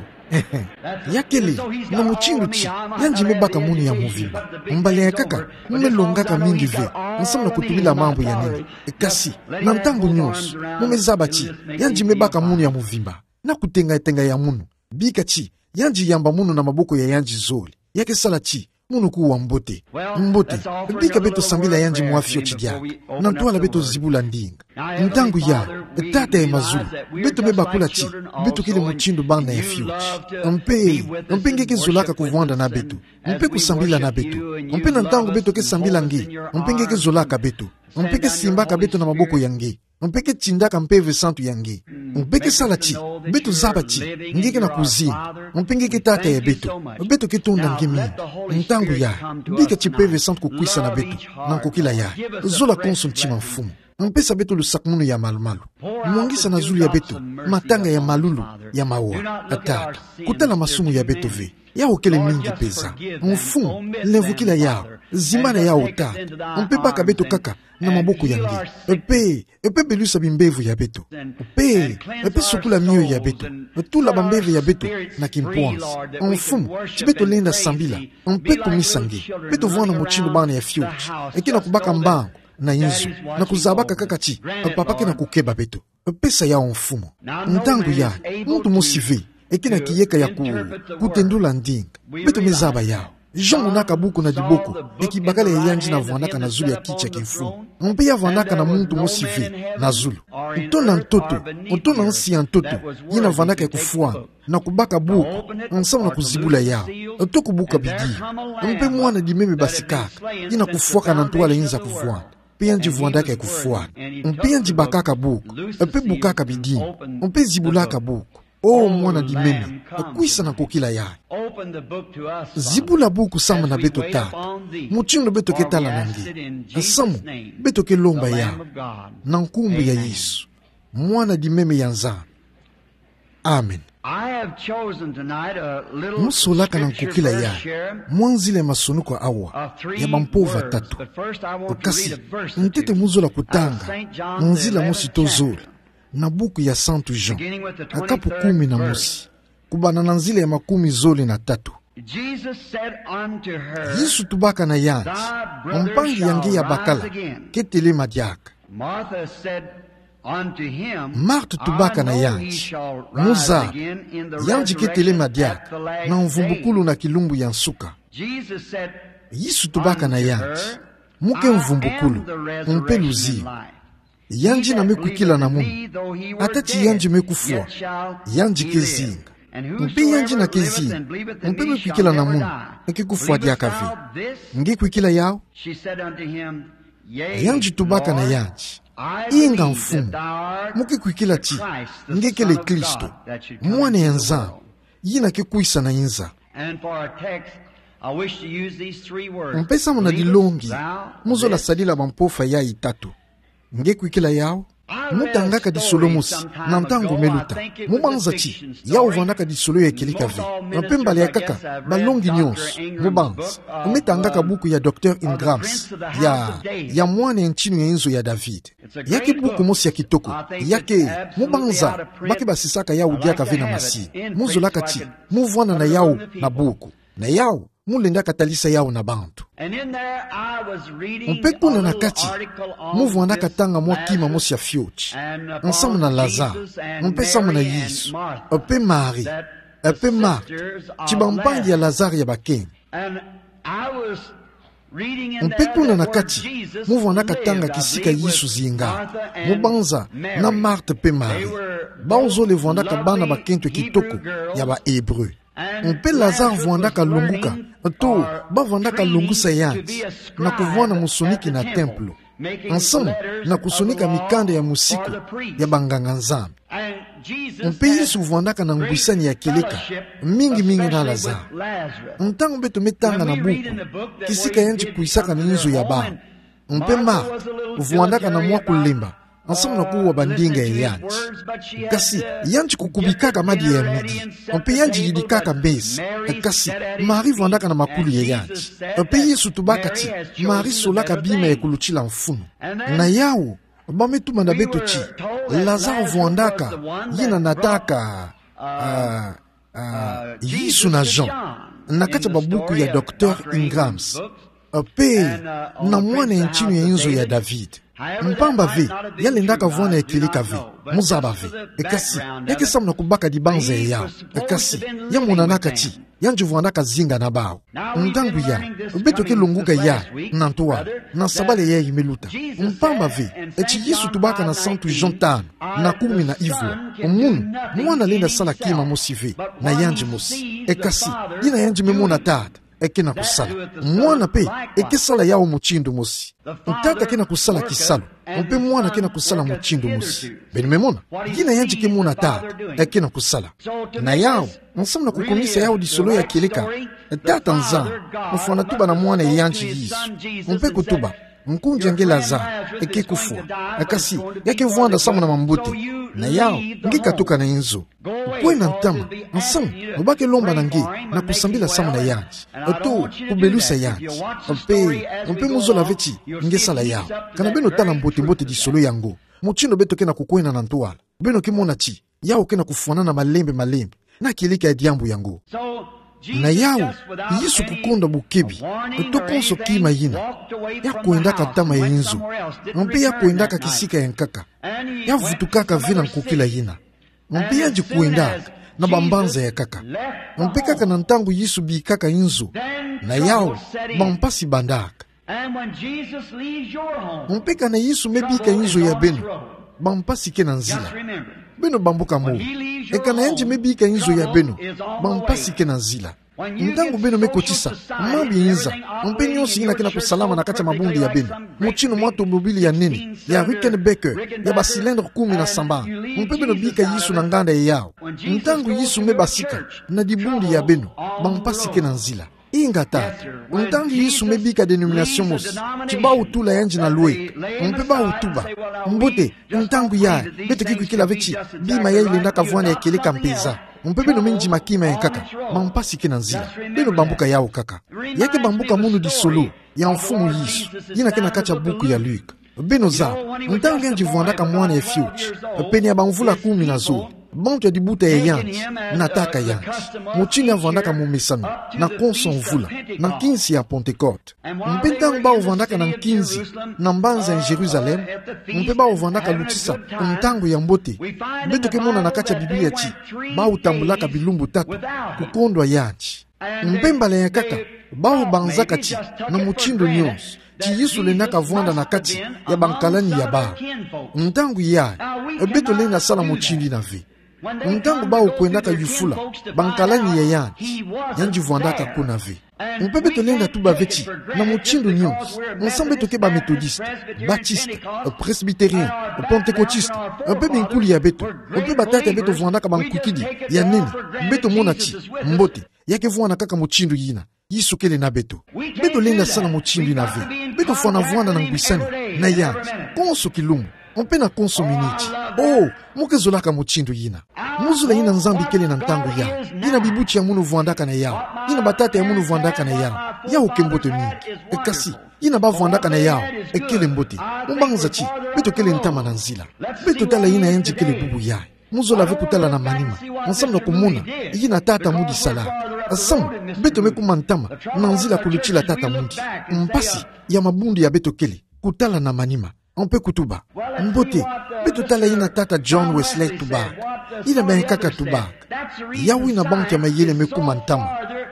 Ya kele, na mutindu ti yandi me baka munu ya movimba. Mbala ya nkaka, mu me longaka mingi ve, nsamu na kutubila mambu ya nene. Kasi, na ntangu nyonso, mu me zaba ti yandi me baka munu ya movimba. Na kutenga-tenga ya munu, bika ti yandi yamba munu na maboko ya yandi zole. Ya ke sala ti munu kuwa mbote. Mbote, bika beto sambila yandi mwa fioti diaka. Na ntwala beto zibula ndinga. Ntangu yayi, Tata ya mazulu, beto me bakula ti beto kele mutindu bana ya fioti. Mpe, mpe nge ke zolaka kuvwanda na beto, mpe kusambila na beto. Mpe na ntangu beto ke sambila nge, mpe nge ke zolaka beto, mpe ke simbaka beto na maboko ya nge, mpe ke tindaka Mpeve Santu ya nge. Mpe ke sala ti beto zaba ti nge ke na kuzinga, mpe nge ke Tata ya beto. Beto ke tonda nge mingi. Ntangu yayi, bika ti Mpeve Santu kukwisa na beto, na nkokila yayi. Zola konso ntima, Mfumu. Mpesa beto lusakumunu ya malu-malu. Mwangisa na zulu ya beto matanga ya malulu, ya mawa. Tata, kutala masumu ya beto ve. Yau kele mingi peza. Mfumu, lemvukila yau. Zimbana yau, Tata. Mpe baka beto kaka na maboko ya nge. Mpe, mpe belusa bimbevo ya beto. Mpe, mpe sukula mioyo ya beto. Tula bambevo ya beto na kimpwansi. Mfumu, ti beto lenda sambila, mpe kumisa nge. Beto vwanda mutindu bana ya fioti, e ke na kubaka mbangu na inzo, na kuzabaka kaka ti papa ke na kukeba beto. Pesa yau, Mfumu. Ntangu yayi, muntu mosi ve e ke na kiyeka ya ku-, kutendula ndinga. Beto me zaba yau. Jean monaka buku na diboko, e kibakala ya yandi na vwandaka na zulu ya kiti ya kimfumu. Mpe ya vwandaka na muntu mosi ve na zulu. Nto na ntoto, nto na nsi ya ntoto, yina vwandaka ya kufwana na kubaka buku, nsamu na kuzibula yau, to kubuka bidimbu. Mpe mwana dimeme basikaka, yina kufwaka na ntwala yinza kuvwanda. Mpe yandi vwandaka ya kufwana. Mpe yandi bakaka buku, mpe bukaka bidimbu, mpe zibulaka buku. O mwana dimeme, kwisa na nkokila yayi. Zibula buku samu na beto, Tata. Mutindu beto ke tala na nge, nsamu beto ke lomba yau, na nkumbu ya Yesu, Mwana dimeme ya Nzambi. Amen. Mu solaka na nkokila yayi mwa nzila ya masonoko awa ya bampova tatu. Kasi, ntete mu zola kutanga nzila mosi to zole na buku ya Santu Jean, na kapu kumi na mosi, kubanda na nzila ya makumi zole na tatu. Yesu tubaka na yandi: Mpangi ya nge ya bakala ke telema diaka. Marthe tubaka na yandi: Mu zaba, yandi ke telema diaka na mvumbukulu na kilumbu ya nsuka. Yesu tubaka na yandi: Mu ke mvumbukulu, mpe luzingu. Yandi yina me kwikila na munu, ata ti yandi me kufwa, yandi ke zinga. Mpe yandi yina ke zinga, mpe me kwikila na munu, ke kufwa diaka ve. Nge kwikila yau? Yandi tubaka na yandi: Inga, Mfumu, mu ke kwikila ti nge kele Kristo, Mwana ya Nzambi, yina ke kwisa na inza. Mpe samu na dilongi, mu zola sadila bampova yayi tatu: Nge kwikila yau? Mu tangaka disolo mosi na ntangu me luta, mu banza ti yau vandaka disolo ya kilika ve. Mpe mbala ya nkaka, balongi nyonso, mu banza, me tangaka buku ya Docteur Ingram, ya, ya Mwana ya Ntinu ya Inzo ya David. Ya ke buku mosi ya kitoko. Ya ke, mu banza ba ke basisaka yau diaka ve na masini. Mu zolaka ti mu vwanda na yau na buku. Na yau, mu lendaka talisa yau na bantu. Mpe kuna na kati, mu vwandaka tanga mwa kima mosi ya fioti, nsamu na Lazare, mpe samu na Yesu, mpe Marie, mpe Marthe, ti bampangi ya Lazare ya bakenge. Mpe kuna na kati, mu vwandaka tanga kisika Yesu zingaka, mu banza na Marthe mpe Marie. Bau zole vwandaka bana bakento ya kitoko ya ba Hébreux. Mpe Lazare vwandaka longuka, to ba vwandaka longusa yandi, na kuvwanda musoniki na templo, nsamu na kusonika mikanda ya musiku ya banganga-Nzambi. Mpe Yesu vwandaka na ngwisani ya kieleka mingi mingi na Lazare. Ntangu beto me tanga na buku kisika yandi kwisaka na inzo ya bau, mpe Marthe vwandaka na mwa kulemba, ensemble na kuwa bandinga ya yandi. Kasi, yandi kukubikaka madi ya midi. Mpe yandi yidikaka besi. Kasi, Marie vwandaka na makulu ya yandi. Mpe Yesu tubaka ti, Marie solaka bima ya kulutila mfunu. Na yawu, ba me tuba na beto ti, Lazare vwandaka, yina nataka, ah, ah, Yesu na Jean, na kati ya babuku ya Docteur Ingram's. Mpe na mwana ya ntinu ya inzo ya David. Mpamba ve, ya lendaka vwanda ya kieleka ve, mu zaba ve. Kasi, ya ke samu na kubaka dibanza ya yawu. Kasi, ya monanaka ti, yandi vwandaka zinga na bawu. Ntangu yayi, beto ke longuka yayi na ntwala, na sabala yayi me luta. Mpamba ve, ti Yesu tubaka na Santu Jean tanu, na kumi na ivwa: Munu, mwana lenda sala kima mosi ve, na yandi mosi. Kasi, yina yandi me mona Tata, e ke na kusala. Mwana mpe, e ke sala yawu mutindu mosi. Tata ke na kusala kisalu, mpe mwana ke na kusala mutindu mosi. Beno me mona, yina yandi ke mona Tata, e ke na kusala. Na yawu, ensemble na kukumisa yawu disolo ya kieleka, Tata Nzambi, mfwana tuba na mwana ya yandi Yesu. Mpe kutuba, nkundi ya nge Lazare, e ke kufwa. Kasi, ya ke vwanda samu na mambote. Na yawu, nge katuka na inzo. Kwena ntama, ensemble, ba ke lomba na nge, na kusambila samu na yandi. To, kubelusa yandi. Mpe, mpe mu zola ve ti, nge sala yawu. Kana beno tala mbote-mbote disolo yango. Mutindu beto ke na kukwena na ntwala, beno ke mona ti, yawu ke na kufwanana malembe-malembe na kieleka ya diambu yango. Na yawu, Yesu kukondwa bukebi, to konso kima yina, ya kwendaka ntama ya inzo, mpe ya kwendaka kisika ya nkaka, ya vutukaka ve na nkukila yina. Mpe yandi kwendaka na bambanza ya nkaka. Mpe kaka na ntangu Yesu bikaka inzo, na yawu, bampasi bandaka. Mpe kana Yesu me bika inzo ya beno, bampasi ke na nzila. Beno bambuka mo. E kana yandi me bika inzo ya beno, bampasi ke na nzila. Ntangu beno me kotisa mambu ya inza, mpe nionso yina ke na kusalama na kati ya mabundu ya beno, mutindu mwa tomobile ya nene, ya Rickenbacker, ya ba cylindre kumi na sambanu, mpe beno bika Yesu na nganda ya yawu. Ntangu Yesu me basika na dibundu ya beno, bampasi ke na nzila. Inga tata, ntangu Yesu me bika dénomination mosi, ti bawu tula yandi na lweka, mpe bawu tuba: Mbote, ntangu yayi, beto ke kwikila ve ti, bima yayi lendaka vwanda ya kieleka mpeza. Mpe beno me ndima kima ya nkaka, bampasi ke na nzila. Beno bambuka yawu kaka. Ya ke bambuka munu disolo ya Mfumu Yesu, yina ke na kati ya buku ya Luka. Beno zaba, ntangu yandi vwandaka mwana ya fioti, pene ya bamvula kumi na zole, bantu ya dibuta ya yandi nataka yandi, mutindu ya vwandaka momesano, na konso mvula, na nkinzi ya Pentecote. Mpe ntangu bawu vwandaka na nkinzi na mbanza ya Jérusalem, mpe bawu vwandaka lutisa ntangu ya mbote, beto ke mona na kati ya Biblia ti, bawu tambulaka bilumbu tatu kukondwa yandi. Mpe mbala ya nkaka, bawu banzaka ti, na mutindu nionso, ti Yesu lendaka vwanda na kati ya bankalani ya bawu. Ntangu yayi, beto lenda sala mutindu yina ve. Ntangu bawu kwendaka yufula bankalani ya yandi, yandi vwandaka kuna ve. Mpe beto lenda tuba ve ti, na mutindu nionso, ensemble beto ke ba Methodiste, Batiste, Presbytérien, Pentecôtiste, mpe binkuli ya beto, mpe batata ya beto vwandaka bankwikidi ya nene, beto mona ti, mbote, ya ke vwanda kaka mutindu yina. Yesu kele na beto. Beto lenda sala mutindu yina ve. Beto fwana vwanda na ngwisani na yandi, konso kilumbu, mpe na konso miniti. Oh, mu ke zolaka mutindu yina. Mu zola yina Nzambi kele na ntangu yawu, yina bibuti ya munu vwandaka na yawu, yina batata ya munu vwandaka na yawu. Yawu ke mbote mingi. E kasi, yina ba vwandaka na yawu, e kele mbote. Mu banza ti, beto kele ntama na nzila. Beto tala yina yandi kele bubu yayi. Mu zola ve kutala na manima, ensemble na kumona yina tata mudi sala. Ensemble, beto me kuma ntama na nzila kulutila tata mudi. Mpasi ya mabundu ya beto kele kutala na manima, mpe kutuba: Mbote, beto tala yina tata John Wesley tubaka, yina bankaka tubaka. Yawu yina bantu ya mayele me kuma ntama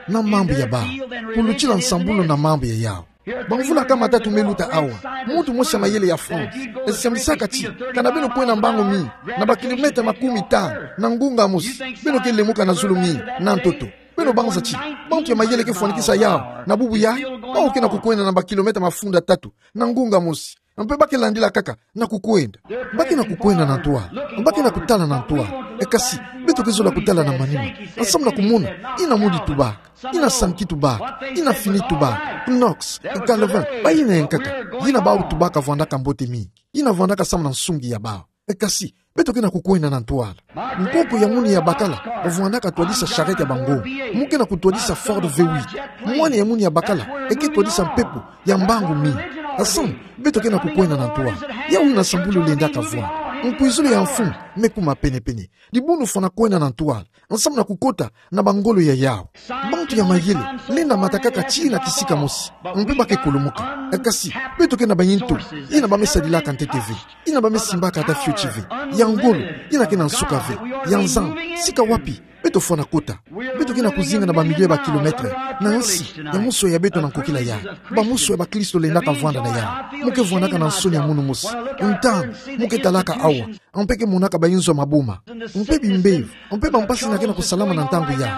na mambu ya bawu, kulutila nsambulu na mambu ya yawu. Bamvula kama tatu me luta awa, muntu mosi ya mayele ya France, e siamisaka ti, kana beno kwenda mbangu mingi, na bakilomètre makumi tanu, na ngunga mosi, beno ke lemuka na zulu mingi na ntoto. Beno banza ti, bantu ya mayele ke fwanikisa yawu na bubu yayi? Bawu ke na kukwenda na bakilomètre mafunda tatu, na ngunga mosi. Mpe ba ke landila kaka na kukwenda. Ba ke na kukwenda na ntwala. Ba ke na kutala na ntwala. E kasi, beto ke zola kutala na manima, ensemble na kumona yina mudi tubaka. Ina Sankey tubaka, ina Finney tubaka, Knox, Galvin, bayina yankaka. Yina bawu tubaka vwandaka mbote mingi. Yina vwandaka samu na nsungi ya bawu. E kasi, beto ke na kukwenda na ntwala. Nkoko ya munu ya bakala vwandaka twadisa charrette ya bangoma. Mu ke na kutwadisa Ford V huit. Mwana ya munu ya bakala eke twadisa mpepo ya mbangu mingi. Samu beto ke na kukwenda na ntwala. Yawu ina sambulu lendaka vwanda. Nkwizulu ya mfumu me kuma penepene. Dibundu fwana kwenda na ntwala, samu na kukota na bangolo ya yawu. Bantu ya mayele lenda matakaka tii na kisika mosi, mpe ba ke kulumuka. E kasi, beto ke na bayinto, ina ba me sadilaka ntete ve, ina ba me simbaka ata fioti ve. Ya ngolo, ina ke na nsuka ve. Ya Nzambi, sika wapi beto fwana kota? Beto ke na kuzinga na bamilio ya bakilometre na nsi ya muswe ya beto na nkokila yayi. Bamuswe ya bakristo lendaka vwanda na yawu. Mu ke vwandaka na nsoni ya munu mosi. Ntangu mu ke talaka awa, mpe ke monaka bayinzo ya maboma, mpe bimbevo, mpe bampasi ina ke na kusalama na ntangu yayi.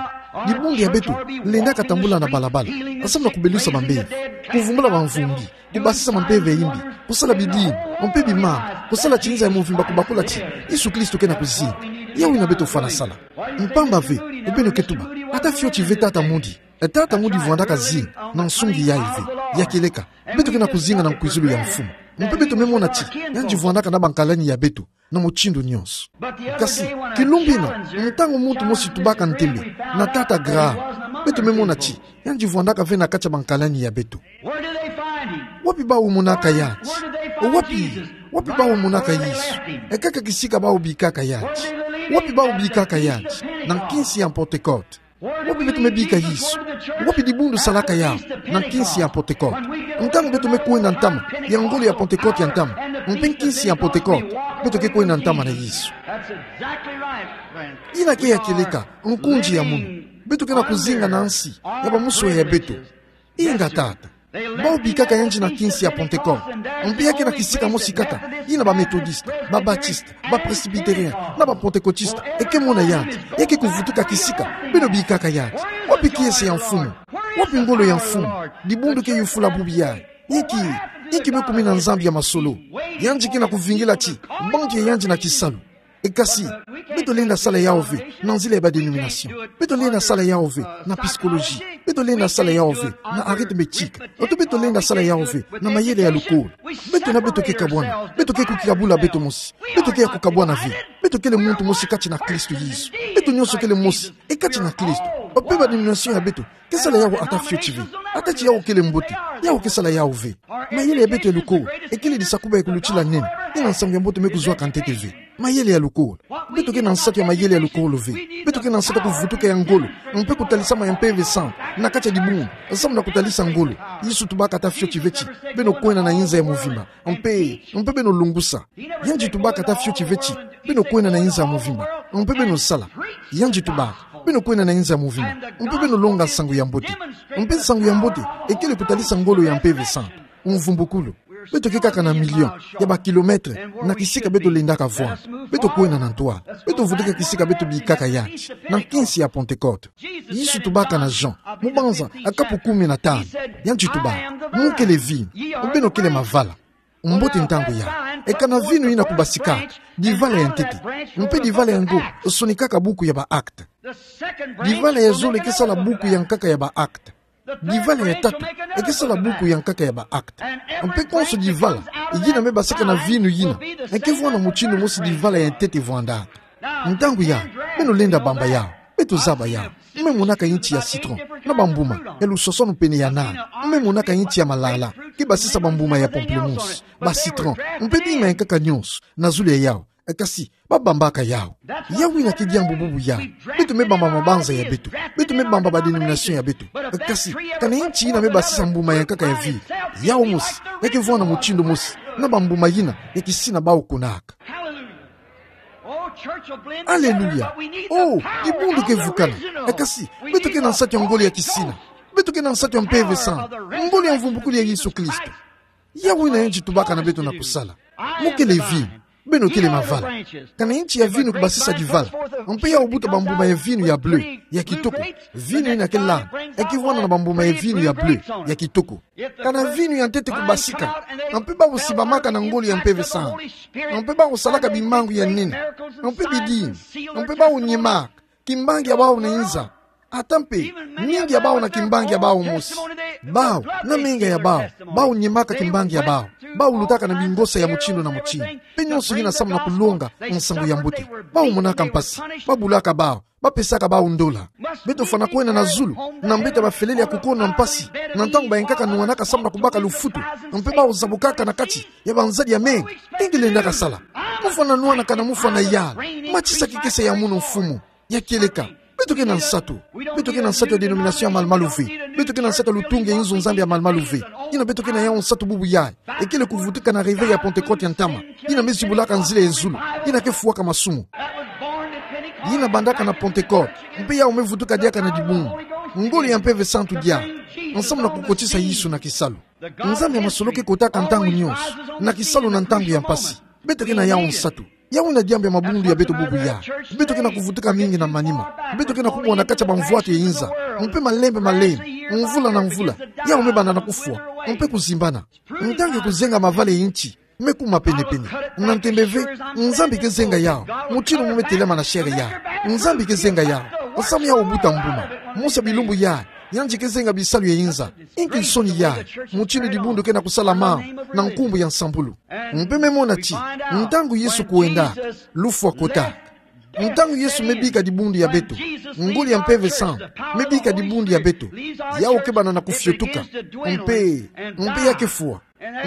Dibundu ya beto lendaka tambula na balabala, samu na kubelusa bambevo, kuvumbula bamvumbi, kubasisa mampeve ya imbi, kusala bidimbu, mpe bimambu, kusala ti inza ya mvimba kubakula ti Yesu Kristo ke na kuzinga. Yawu ina beto fwana sala. Mpamba ve, beno ke tuba, ata fioti ve Tata Moody. E Tata Moody vwandaka zinga na nsungi yayi ve. Ya kieleka, beto ke na kuzinga na nkwizulu ya mfumu, mpe beto me mona ti yandi vwandaka na bankalani ya beto na mutindu nyonso. Kasi, kilumbu ina, ntangu muntu mosi tubaka ntembe na Tata Graham, beto me mona ti yandi vwandaka ve na kati ya bankalani ya beto. Wapi bawu monaka yandi? Wapi, wapi bawu monaka Yesu? E kaka kisika bawu bikaka yandi. Wapi bawu bikaka yandi? Na nkinsi ya Pentecote. Wapi beto me bika Yesu? Wapi dibundu salaka yawu? Na nkinsi ya Pentecote. Ntangu beto me kwenda ntama ya ngolo ya Pentecote ya ntama, mpe nkinsi ya Pentecote, beto ke kwenda ntama na Yesu. Ina ke ya kieleka, nkunzi ya munu. Beto ke na kuzinga na nsi ya bamuswe ya beto. Inga tata. Bawu bikaka yandi na nkinsi ya Pentecote. Mpe ya ke na kisika mosi kaka, ina ba Methodiste, ba Baptiste, ba Presbytérien, na ba Pentecôtiste, e ke mona yandi. Ya ke kuvutuka kisika, beno bikaka yandi. Wapi kiese ya mfumu? Wapi ngolo ya mfumu? Dibundu ke yufula bubu yayi. Inki, inki me kumina Nzambi ya masolo? Yandi ke na kuvingila ti bantu ya yandi na kisalu. E kasi, beto lenda sala yawu ve na nzila ya ba dénomination. Beto lenda sala yawu ve na psychologie. Beto lenda sala yawu ve na arithmétique. Oto beto lenda sala yawu ve na mayele ya lukolo. Beto na beto ke kabwana. Beto ke kukabula beto mosi. Beto ke ya kukabwana ve. Beto kele muntu mosi kati na Kristo Yesu. Beto nyonso kele mosi e kati na Kristo. Mpe ba dénomination ya beto ke sala yawu ata fioti ve. Ata ti yawu kele mbote, yawu ke sala yawu ve. Mayele ya beto ya lukolo e kele disakuba ya kulutila nene. Ina nsangu ya mbote me kuzwaka ntete ve. Mayele ya lukolo. Beto ke na nsatu ya mayele ya lukolo ve. Beto ke na nsatu ya kuvutuka ya ngolo, mpe kutalisama ya Mpeve Santu na kati ya dibundu, samu na kutalisa ngolo. Yesu tubaka ata fioti ve ti beno kwenda na inza ya mvimba, mpe, mpe beno lungusa. Yandi tubaka ata fioti ve ti beno kwenda na inza ya mvimba, mpe beno sala. Yandi tubaka beno kwenda na inza ya mvimba, mpe beno longa nsangu ya mbote. Mpe nsangu ya mbote e kele kutalisa ngolo ya Mpeve Santu. Mvumbukulu. Beto ke kaka na million ya ba kilomètre na kisika beto lendaka vwanda. Beto kwenda na ntwala. Beto vutuka kisika beto bikaka yandi, na nkinsi ya Pentecôte. Yesu tubaka na Jean, mu Banza, a kapu kumi na tanu. Yandi tubaka: Mu kele vinu, beno kele mavala. Mbote ntangu yayi. E kana vinu yina kubasikaka, divala ya ntete. Mpe divala yango sonikaka buku ya ba acte. Divala ya zole ke sala buku ya nkaka ya ba acte. Divala ya tatu e ke sala buku ya nkaka ya ba acte. Mpe konso divala yina me basika na vinu yina e ke vwanda mutindu mosi divala ya ntete vwandaka. Ntangu yayi, beno lenda bamba yawu. Beto zaba yawu. Mu me monaka inti ya citron na bambuma ya lusosono pene ya nana. Mu me monaka inti ya malala ke basisa bambuma ya pamplemousse, ba citron, mpe bima ya nkaka nyonso na zulu ya yawu. Kasi, ba bambaka yawu. Yawu yina ke diambu bubu yayi. Beto me bamba mabanza ya beto. Beto me bamba ba dénomination ya beto. Kasi, kana inti yina me basisa mbuma ya nkaka ya vinu, yawu mosi ya ke vwanda mutindu mosi na bambuma yina ya kisina bawu kunaka. Aleluya. Oh, dibundu ke vukana. Kasi, beto ke na nsatu ya ngolo ya kisina. Beto ke na nsatu ya Mpeve Santu. Ngolo ya mvumbukulu ya Yesu Kristo. Yawu yina yandi tubaka na beto na kusala. Mu kele vinu, beno kele mavala. Kana inti ya vinu kubasisa divala, mpe yawu buta bambuma ya vinu ya bleu ya kitoko. Vinu yina ke landa e ke vwanda na bambuma ya vinu ya bleu ya kitoko. Kana vinu ya ntete kubasika, mpe bawu simbamaka na ngolo ya Mpeve Santu, mpe bawu salaka bimangu ya nene, mpe bidimbu, mpe bawu nyemaka, kimbangi ya bawu na inza. Ata mpe mingi ya bawu na kimbangi ya bawu mosi. Bawu, na menga ya bawu, bawu nyemaka kimbangi ya bawu. Bawu lutaka na bingosa ya mutindu na mutindu. Mpe nionso yina samu na kulonga nsangu ya mbote. Bawu monaka mpasi, babulaka bawu, bapesaka bawu ndola. Beto fwana kwenda na zulu, na mbeta bafelele ya kukono na mpasi, na ntangu bayenkaka nuanaka samu na kubaka lufutu, mpe bawu zabukaka na kati ya banzadi ya menga. Inki lendaka sala? Mufwana nuanaka na mufwana yala. Matisa kikese ya munu, mfumu. Ya kieleka, beto ke na nsatu. Beto ke na nsatu ya dénomination ya malumalu ve. Beto ke na nsatu ya lutungi ya inzo-Nzambi ya malumalu ve. Yina beto ke na yawu nsatu bubu yayi, ekele kuvutuka na réveil ya Pentecôte ya ntama, yina me zibulaka nzila ya zulu, yina ke fwaka masumu. Yina bandaka na Pentecôte, mpe yawu me vutuka diaka na dibundu, ngolo ya Mpeve Santu diaka, nsamu na kukotisa Yesu na kisalu. Nzambi ya masolo ke kotaka ntangu nionso, na kisalu na ntangu ya mpasi. Beto ke na yawu nsatu. Yawu yina diambu ya mabundu ya beto bubu yayi. Beto ke na kuvutuka mingi na manima. Beto ke na kubwa na kati ya bamvwatu ya inza, mpe malembe malembe, mvula na mvula, yawu me banda na kufwa, mpe kuzimbana. Ntangu ya kuzenga mavale ya nti me kuma penepene. Na ntembe ve, Nzambi ke zenga yawu, mutindu mu me telama na chair yayi. Nzambi ke zenga yawu, nsamu yawu buta mbuma. Mosi ya bilumbu yayi, yandi ke zenga bisalu ya inza. Inki nsoni yayi, mutindu dibundu ke na kusala mawu na nkumbu ya nsambulu. Mpe me mona ti, ntangu Yesu kwenda, lufwa kota. Ntangu Yesu me bika dibundu ya beto, ngolo ya Mpeve Santu me bika dibundu ya beto, yawu ke banda na kufiotuka. Mpe, mpe ya ke fwa.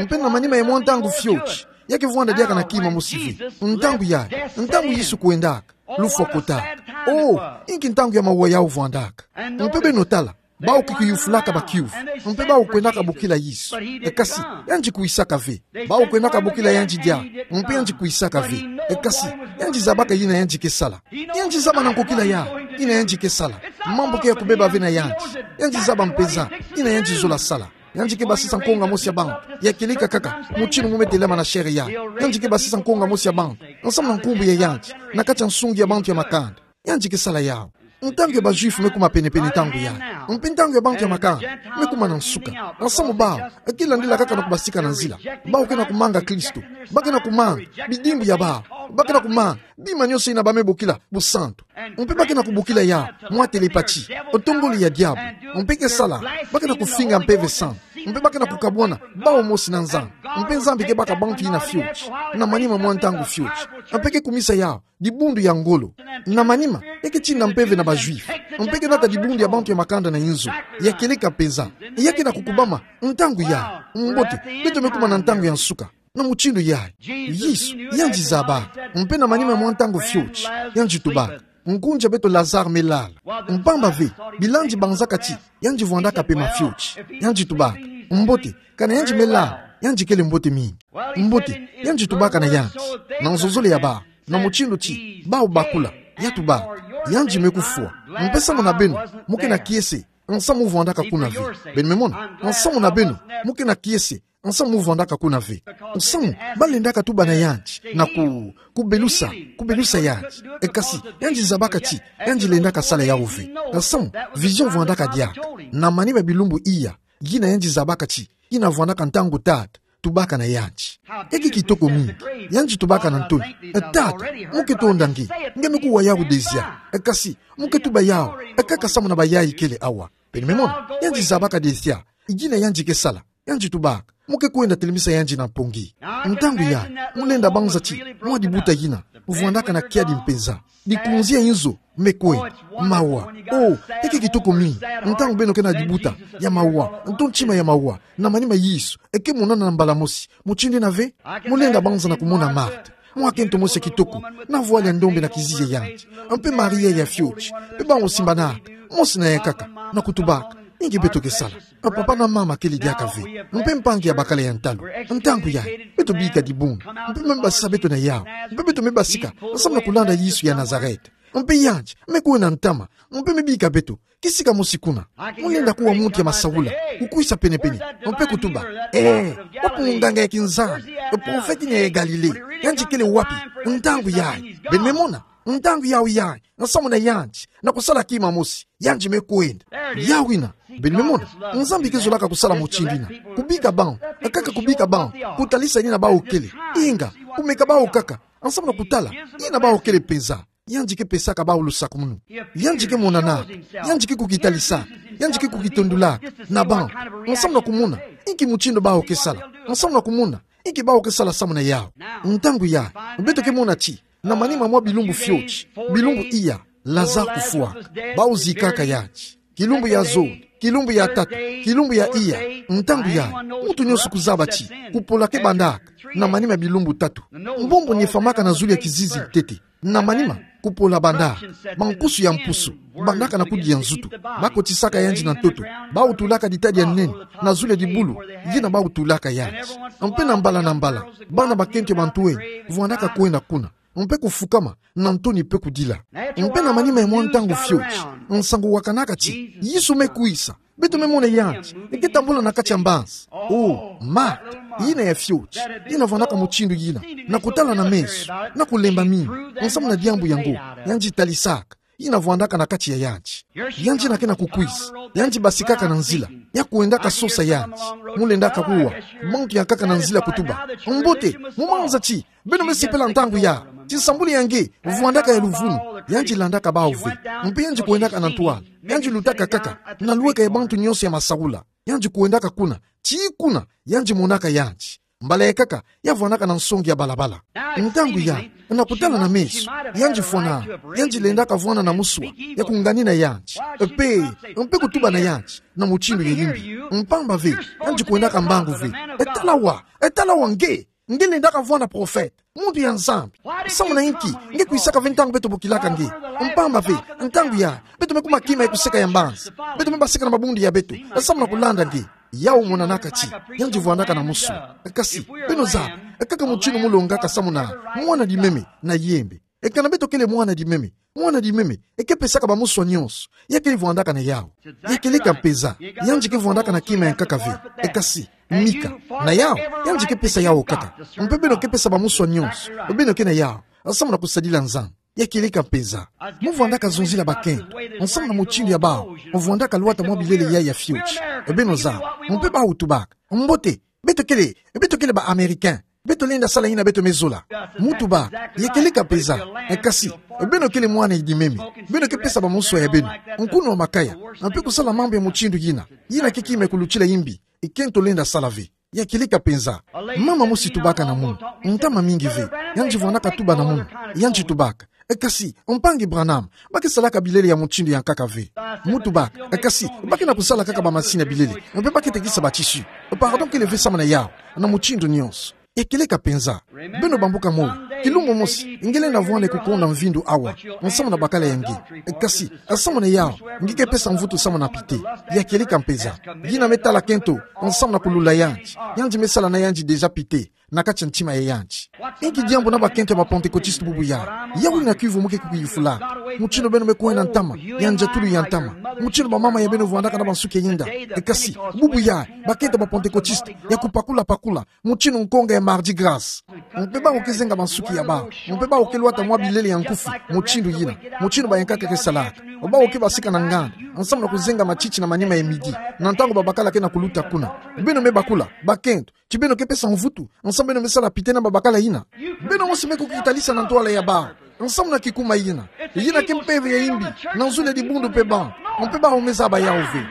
Mpe na manima ya mwa ntangu fioti, ya ke vwanda diaka na kima mosi ve. Ntangu yayi, ntangu Yesu kwendaka, lufwa kota. Oh, inki ntangu ya mawa yawu vwandaka. Mpe beno tala, bawu ke kuyufulaka bakiuvu, mpe bawu kwendaka bokila Yesu. E kasi, yandi kwisaka ve. Bawu kwendaka bokila yandi diaka, mpe yandi kwisaka ve. E kasi, yandi zabaka yina yandi ke sala. Yandi zaba na nkokila yawu yina yandi ke sala. Mambu ke ya kubeba ve na yandi. Yandi zaba mpenza yina yandi zola sala. Yandi ke basisa nkonga mosi ya bantu. Ya kieleka kaka mutindu mu me telama na chair yayi. Yandi ke basisa nkonga mosi ya bantu, nsamu na nkumbu ya yandi, na kati ya nsungi ya bantu ya makanda. Yandi ke sala yawu. Ntangu ya ba Juifs me kuma penepene ntangu yayi. Mpe ntangu ya bantu ya makanda me kuma na nsuka. Nsamu bawu, ke landila kaka na kubasika na nzila. Bawu ke na kumanga Kristo. Ba ke na kumanga bidimbu ya bawu. Ba ke na kumanga bima nionso yina ba me bokila busantu. Mpe ba ke na kubokila yawu mwa télépathie, ntongolo ya diabu. Mpe ke sala, ba ke na kufinga Mpeve Santu. Mpe ba ke na kukabwana bawu mosi na Nzambi. Mpe Nzambi ke baka bantu yina fioti, na manima mwa ntangu fioti. Mpe ke kumisa yawu dibundu ya ngolo. Na manima, e ke tina mpeve na ba Juifs. Mpe ke nata dibundu ya bantu ya makanda na inzo. Ya kieleka mpenza. Ya ke na kukubama ntangu yayi. Mbote, beto me kuma na ntangu ya nsuka. Na mutindu yayi, Yesu yandi zabaka. Mpe na manima mwa ntangu fioti, yandi tubaka. Ngunza ya beto Lazare me lala. Mpamba ve, bilandi banzaka ti yandi vwandaka pema fioti. Yandi tubaka. Mbote, kana yandi me lala, yandi kele mbote mingi. Mbote, yandi tubaka na yandi, na nzozole ya bawu, na mutindu ti bawu bakula. Ya tubaka. Yandi me kufwa. Mpe samu na beno, mu ke na kiese nsamu mu vwandaka kuna ve. Beno me mona? Nsamu na beno, mu ke na kiese nsamu mu vwandaka kuna ve. Nsamu ba lendaka tuba na yandi, na ku, kubelusa, kubelusa yandi. E kasi, yandi zabaka ti yandi lendaka sala yawu ve. Nsamu, vision vwandaka diaka. Na manima ya bilumbu iya, yina yandi zabaka ti yina vwandaka ntangu Tata tubaka na yandi. E ke kitoko mingi. Yandi tubaka na ntolo: E Tata, mu ke tonda nge. Nge me kuwa yawu déjà. E kasi, mu ke tuba yawu, e kaka samu na bayayi kele awa. Beno me mona? Yandi zabaka déjà yina yandi ke sala. Yandi tubaka: Mu ke kwenda telemisa yandi na mpongi. Ntangu yayi, mu lenda banza ti mwa dibuta yina mu vwandaka na kiadi mpenza. Dikunzi ya inzo me kwenda. Mawa. Oh, e ke kitoko mingi ntangu beno ke na dibuta ya mawa, nto ntima ya mawa, na manima Yesu e ke monana na mbala mosi. Mutindu yina ve, mu lenda banza na kumona Marthe, mwakento mosi ya kitoko, na voile ya ndombe na kizizi ya yandi. Mpe Maria ya fioti, mpe bawu simbanaka, mosi na yankaka, na kutubaka: Inki beto ke sala? A papa na mama kele diaka ve, mpe mpangi ya bakala ya ntalu. Ntangu yayi, beto bika dibundu, mpe me basisa beto na yawu, mpe beto me basika nsamu na kulanda Yesu ya Nazareth. Mpe yandi me kwenda ntama, mpe me bika beto: Kisika mosi kuna. Mu lenda kuwa muntu ya masaula kukwisa penepene, mpe kutuba: Eh, wapi munganga ya kinzambi, e profeti yina ya Galilée? Yandi kele wapi? Ntangu yayi. Beno me mona? Ntangu yawu yayi, nsamu na yandi, na kusala kima mosi, yandi me kwenda. Yawu yina. Beno me mona? Nzambi ke zolaka kusala mutindu yina. Kubika bawu, kaka kubika bawu, kutalisa yina bawu kele. Inga, kumeka bawu kaka, nsamu na kutala yina bawu kele mpenza. Yandi ke pesaka bawu lusakumunu. Yandi ke monanaka. Yandi ke kukitalisa. Yandi ke kukitondolaka na bantu, nsamu na kumona inki mutindu bawu ke sala, nsamu na kumona inki bawu ke sala samu na yawu. Ntangu yayi, beto ke mona ti na manima mwa bilumbu fioti, bilumbu iya, Lazare kufwaka. Bawu zikaka yandi. Kilumbu ya zole, kilumbu ya tatu, kilumbu ya iya. Ntangu yayi, muntu nyonso kuzaba ti kupola ke bandaka na manima ya bilumbu tatu. Mbombo nyefamaka na zulu ya kizizi ntete. Na manima, kupola bandaka. Bankusu ya mpusu bandaka na kudia nzutu. Bakotisaka yandi na ntoto. Bawu tulaka ditadi ya nene na zulu ya dibulu, yina bawu tulaka yandi. Mpe na mbala na mbala, bana bakento ya bantwenia vwandaka kwenda kuna, mpe kufukama na ntoni mpe kudila. Mpe na manima ya mwa ntangu fioti, nsangu wakanaka ti Yesu me kwisa. Beto me mona yandi, e ke tambula na kati ya mbanzi. O, Marthe, yina ya fioti, yina vwandaka mutindu yina, na kutala na meso, na kulemba mingi, nsamu na diambu yango, yandi talisaka yina vwandaka na kati ya yandi. Yandi yina ke na kukwisa, yandi basikaka na nzila, ya kwendaka sosa yandi. Mu lendaka kuwa, bantu yankaka na nzila kutuba: Mbote, mu manza ti beno me sepela ntangu yayi, ti nsambulu ya nge vwandaka ya luvunu. Yandi landaka bawu ve, mpe yandi kwendaka na ntwala. Yandi lutaka kaka na lweka ya bantu nyonso ya masaula. Yandi kwendaka kuna, tii kuna yandi monaka yandi. Mbala ya nkaka, ya vwandaka na nsonge ya balabala. Ntangu yayi, na kutala na meso, yandi fwanaka, yandi lendaka vwanda na muswa ya kunganina yandi, mpe, mpe kutuba na yandi na mutindu ya yimbi. Mpamba ve, yandi kwendaka mbangu ve: E tala awa, e tala awa nge. Nge lendaka vwanda profete, muntu ya Nzambi. Samu na inki nge kwisaka ve ntangu beto bokilaka nge? Mpamba ve, ntangu yayi, beto me kuma kima ya kuseka ya mbanzi. Beto me basika na mabundu ya beto, samu na kulanda nge. Yawu monanaka ti yandi vwandaka na muswa. Kasi, beno zaba, kaka mutindu mu longaka samu na mwana-dimeme na yembe. E kana beto kele mwana-dimeme, mwana-dimeme e ke pesaka bamuswa nyonso. Ya kele vwandaka na yawu. Ya kieleka mpeza, yandi ke vwandaka na kima ya nkaka ve. E kasi, Mika, na yawu, yandi ke pesa yawu kaka. Mpe beno ke pesa bamuswa nyonso beno ke na yawu, samu na kusadila Nzambi. Ya kieleka mpeza. Mu vwandaka zonzila bakento, samu na mutindu ya bawu vwandaka lwata mwa bilele yayi ya fioti. Beno zaba, mpe bawu tubaka: Mbote, beto kele, beto kele ba Américain. Beto lenda sala yina beto me zola. Mu tubaka: Ya kieleka mpeza. Kasi, beno kele mwana-dimeme. Beno ke pesa bamuswa ya beno, nkunu wa makaya, mpe kusala mambu ya mutindu yina. Yina ke kima ya kulutila yimbi. Kento lenda sala ve. Ya kieleka mpeza. Mama mosi tubaka na munu, ntama mingi ve. Yandi vwandaka tuba na munu. Yandi tubaka: Kasi, mpangi Branham, ba ke salaka bilele ya mutindu ya nkaka ve. Mu tubaka: Kasi, ba ke na kusala kaka bamasini ya bilele, mpe ba ke tekisa ba tissu. Pardon kele ve samu na yawu, na mutindu nyonso. Ya kieleka mpeza. Beno bambuka moyo. Kilumbu mosi nge lenda vwanda kukonda mvindu awa, samu na bakala ya nge. Kasi, samu na yawu, nge ke pesa mvutu samu na pite. Ya kieleka mpeza. Yina me tala kento, samu na kulula yandi. Yandi me sala na yandi déjà pite na kati ya ntima ya yandi. Inki diambu na bakento ya ba Pentecôtiste bubu yayi? Yawu yina kiuvu mu ke kukiyufula. Mutindu beno me kwenda ntama, ya ndiatulu ya ntama. Mutindu bamama ya beno vwandaka na bansuki ya inda. Kasi, bubu yayi, bakento ya ba Pentecôtiste ya kupakula-pakula, mutindu nkonga ya Mardi Gras. Mpe bawu ke zenga bansuki ya bawu. Mpe bawu ke lwata mwa bilele ya nkufi, mutindu yina, mutindu bayankaka ke salaka. Bawu ke basika na nganda, samu na kuzenga matiti na manima ya midi, na ntangu babakala ke na kuluta kuna. Beno me bakula, bakento, ti beno ke pesa mvutu, samu beno me sala pite na babakala yina? Beno mosi me kukitalisa na ntwala ya bawu, samu na kikuma yina. Yina ke mpeve ya yimbi, na nzole dibundu mpe bantu. Mpe bawu me zaba yawu ve.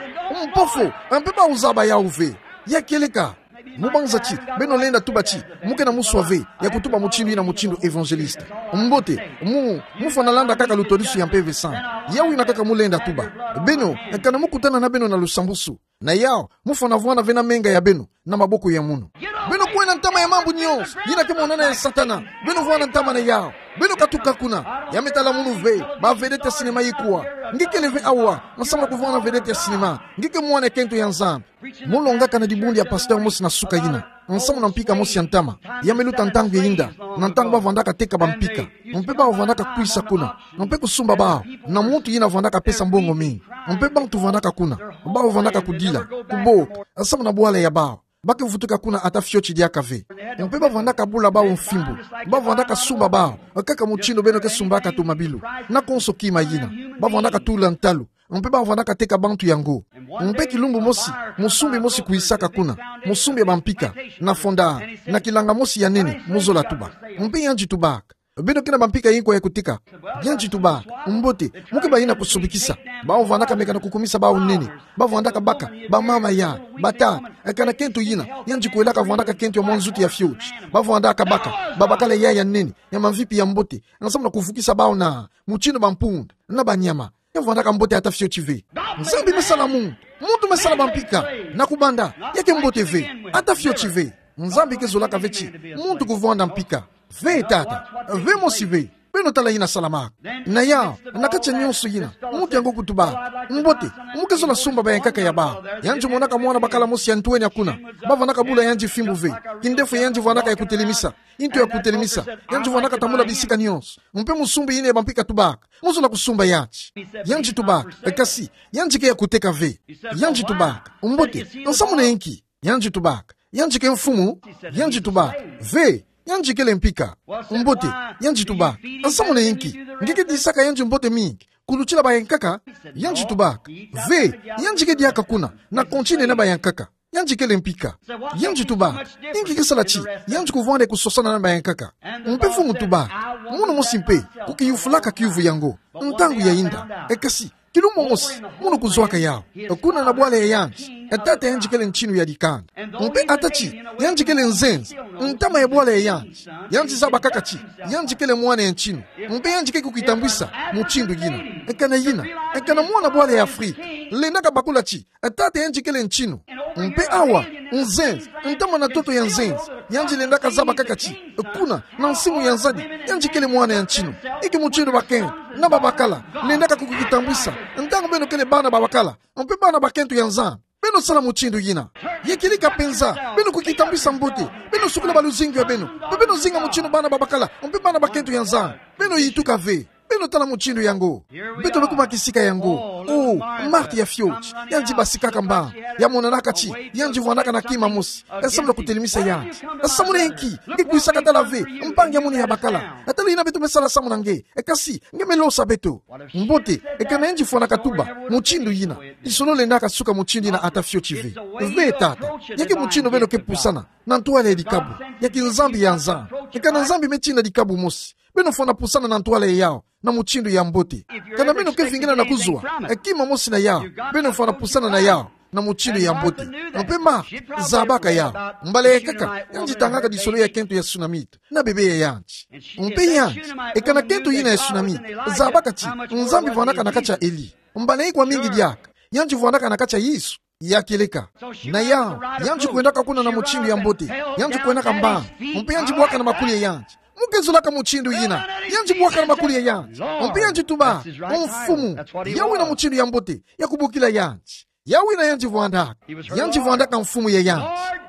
Mpofo, mpe bawu zaba yawu ve. Ya kieleka. Mu banza ti beno lenda tuba ti mu ke na muswa ve ya kutuba mutindu yina, mutindu évangéliste. Mbote, mu, mu fwana landa kaka lutodisu ya Mpeve Santu. Yawu yina kaka mu lenda tuba. Beno, kana mu kutana na beno na lusambusu, na yawu, mu fwana vwanda ve na menga ya beno na maboko ya munu. Beno kwenda ntama ya mambu nyonso yina ke monana ya Satana. Beno vwanda ntama na yawu. Beno katuka kuna. Ya me tala munu ve, ba vedette ya cinéma ikwa. Nge kele ve awa, samu na kuvwanda vedette ya cinéma. Nge ke mwana kento ya Nzambi. Mu longaka na dibundu ya pasteur mosi na suka yina, samu na mpika mosi ya ntama. Ya me luta ntangu ya inda, na ntangu bavwandaka teka bampika. Mpe bavwandaka kwisa kuna, mpe kusumba bawu na muntu yina vwandaka pesa mbongo mingi. Mpe bantu vwandaka kuna, bavwandaka kudila, kuboka, samu na bwala ya bawu. Ba ke vutuka kuna ata fioti diaka ve. Mpe bavwandaka bula bawu mfimbo, bavwandaka sumba bawu kaka mutindu beno ke sumbaka tomabilu, na konso kima yina. Bavwandaka tula ntalu, mpe bavwandaka teka bantu yango. Mpe kilumbu mosi, mosumbi mosi kwisaka kuna, mosumbi ya bampika, na fonda, na kilanga mosi ya nene, mu zola tuba. Mpe yandi tubaka: Beno ke na bampika inkwa ya kuteka? Yandi tubaka: Mbote, mu ke bayina kusobekisa. Bau vandaka meka na kukumisa bau nene. Bavandaka baka bamama ya, batata, eka na kento yina. Yandi kwelaka vandaka kento ya mwa nzuti ya fioti. Bavandaka baka babakala ya ya nene, ya mamvipi, ya mbote, nsamu na kuvukisa bau na mutindu bampunda na banyama. Ya vandaka mbote ata fioti ve. Nzambi me sala muntu, muntu me sala bampika, na kubanda, ya ke mbote ve, ata fioti ve. Nzambi ke zolaka ve ti muntu kuvanda mpika. Ve tata, ve mosi ve. Beno tala yina salamaka. Na yau, na kati ya nionso yina, muntu yango kutubaka: Mbote, mu ke zola sumba bayankaka ya bau? Yandi monaka mwana bakala mosi ya ntwenia kuna. Bavandaka bula yandi fimbu ve. Kindefu ya yandi vandaka ya kutelemisa, nto ya kutelemisa. Yandi vandaka tambula bisika nionso. Mpe musumbi yina ya bampika tubaka: Mu zola kusumba yandi? Yandi tubaka: Kasi, yandi ke ya kuteka ve. Yandi tubaka: Mbote, nsamu na ye nki? Yandi tubaka: Yandi ke mfumu? Yandi tubaka: Ve, yandi kele mpika. Mbote, yandi tubaka: Nsamu na ye nki? Nge ke disaka yandi mbote mingi kulutila bayankaka? Yandi tubaka: Ve, yandi ke diaka kuna, na continent na bayankaka. Yandi kele mpika. Yandi tubaka: Inki ke sala ti yandi kuvanda kusosana na bayankaka? Mpe mfumu tubaka: Munu mosi mpe, kukiyufulaka kiyuvu yango, ntangu ya yinda. E kasi, kilumbu mosi, munu kuzwaka yau, kuna na bwala ya yandi, e tata yandi kele ntinu ya dikanda. Mpe ata ti yandi kele nzenza, ntama ya bwala ya yandi, yandi zaba kaka ti yandi kele mwana ya ntinu. Mpe yandi ke kukitambwisa mutindu yina. Eka na yina, eka na mwana bwala ya Afrika, lendaka bakula ti e tata yandi kele ntinu. Mpe awa, nzenza, ntama na ntoto ya nzenza, yandi lendaka zaba kaka ti kuna, na nsimu ya nzadi, yandi kele mwana ya ntinu. Inki mutindu bakento na babakala lendaka kukitambwisa ntangu beno kele bana babakala mpe bana bakento ya Nzambi? Beno sala mutindu yina. Ya kieleka mpenza, beno kukitambwisa mbote, beno sukula baluzingu ya beno, mpe beno zinga mutindu bana babakala mpe bana bakento ya Nzambi. Beno yituka ve. Beno tala mutindu yango. Beto me kuma kisika yango. Oh, Marthe ya fioti, yandi basikaka mbangu. Ya monanaka ti yandi vandaka na kima mosi, e samu na kutelemisa yandi. E samu na ye nki? Nge kwisaka tala ve mpangi ya munu ya bakala. E tala yina beto me sala samu na nge. E kasi, nge me losa beto. Mbote, eka na yandi fwanaka tuba mutindu yina, lisolo lendaka suka mutindu yina ata fioti ve. Ve tata, ya ke mutindu beno ke pusana na ntwala ya dikabu ya kinzambi ya Nzambi. Eka na Nzambi me tina dikabu mosi, beno fwana pusana na ntwala ya yau na mutindu ya mbote. Kana beno ke vingila na kuzwa e kima mosi na yau, beno fwana pusana na yau na mutindu ya mbote. Mpe Marthe zabaka yau. Mbala ya nkaka, yandi tangaka lisolo ya kento ya Sunamite na bebe ya yandi. Mpe yandi, eka na kento yina ya Sunamite, zabaka ti Nzambi vandaka na kati ya Eli. Mbala ikwa mingi diaka yandi vandaka na kati ya Yesu. Ya kieleka. Na yau, yandi kwendaka kuna na mutindu ya mbote. Yandi kwendaka mbangu. Mpe yandi bwaka na makuli ya yandi. Mu ke zolaka mutindu yina. Yandi bwaka na makuli ya yandi. Mpe yandi tuba: Mfumu. Yau wina mutindu ya mbote ya kubokila yandi. Yau wina yandi vandaka. Yandi vandaka mfumu ya yandi.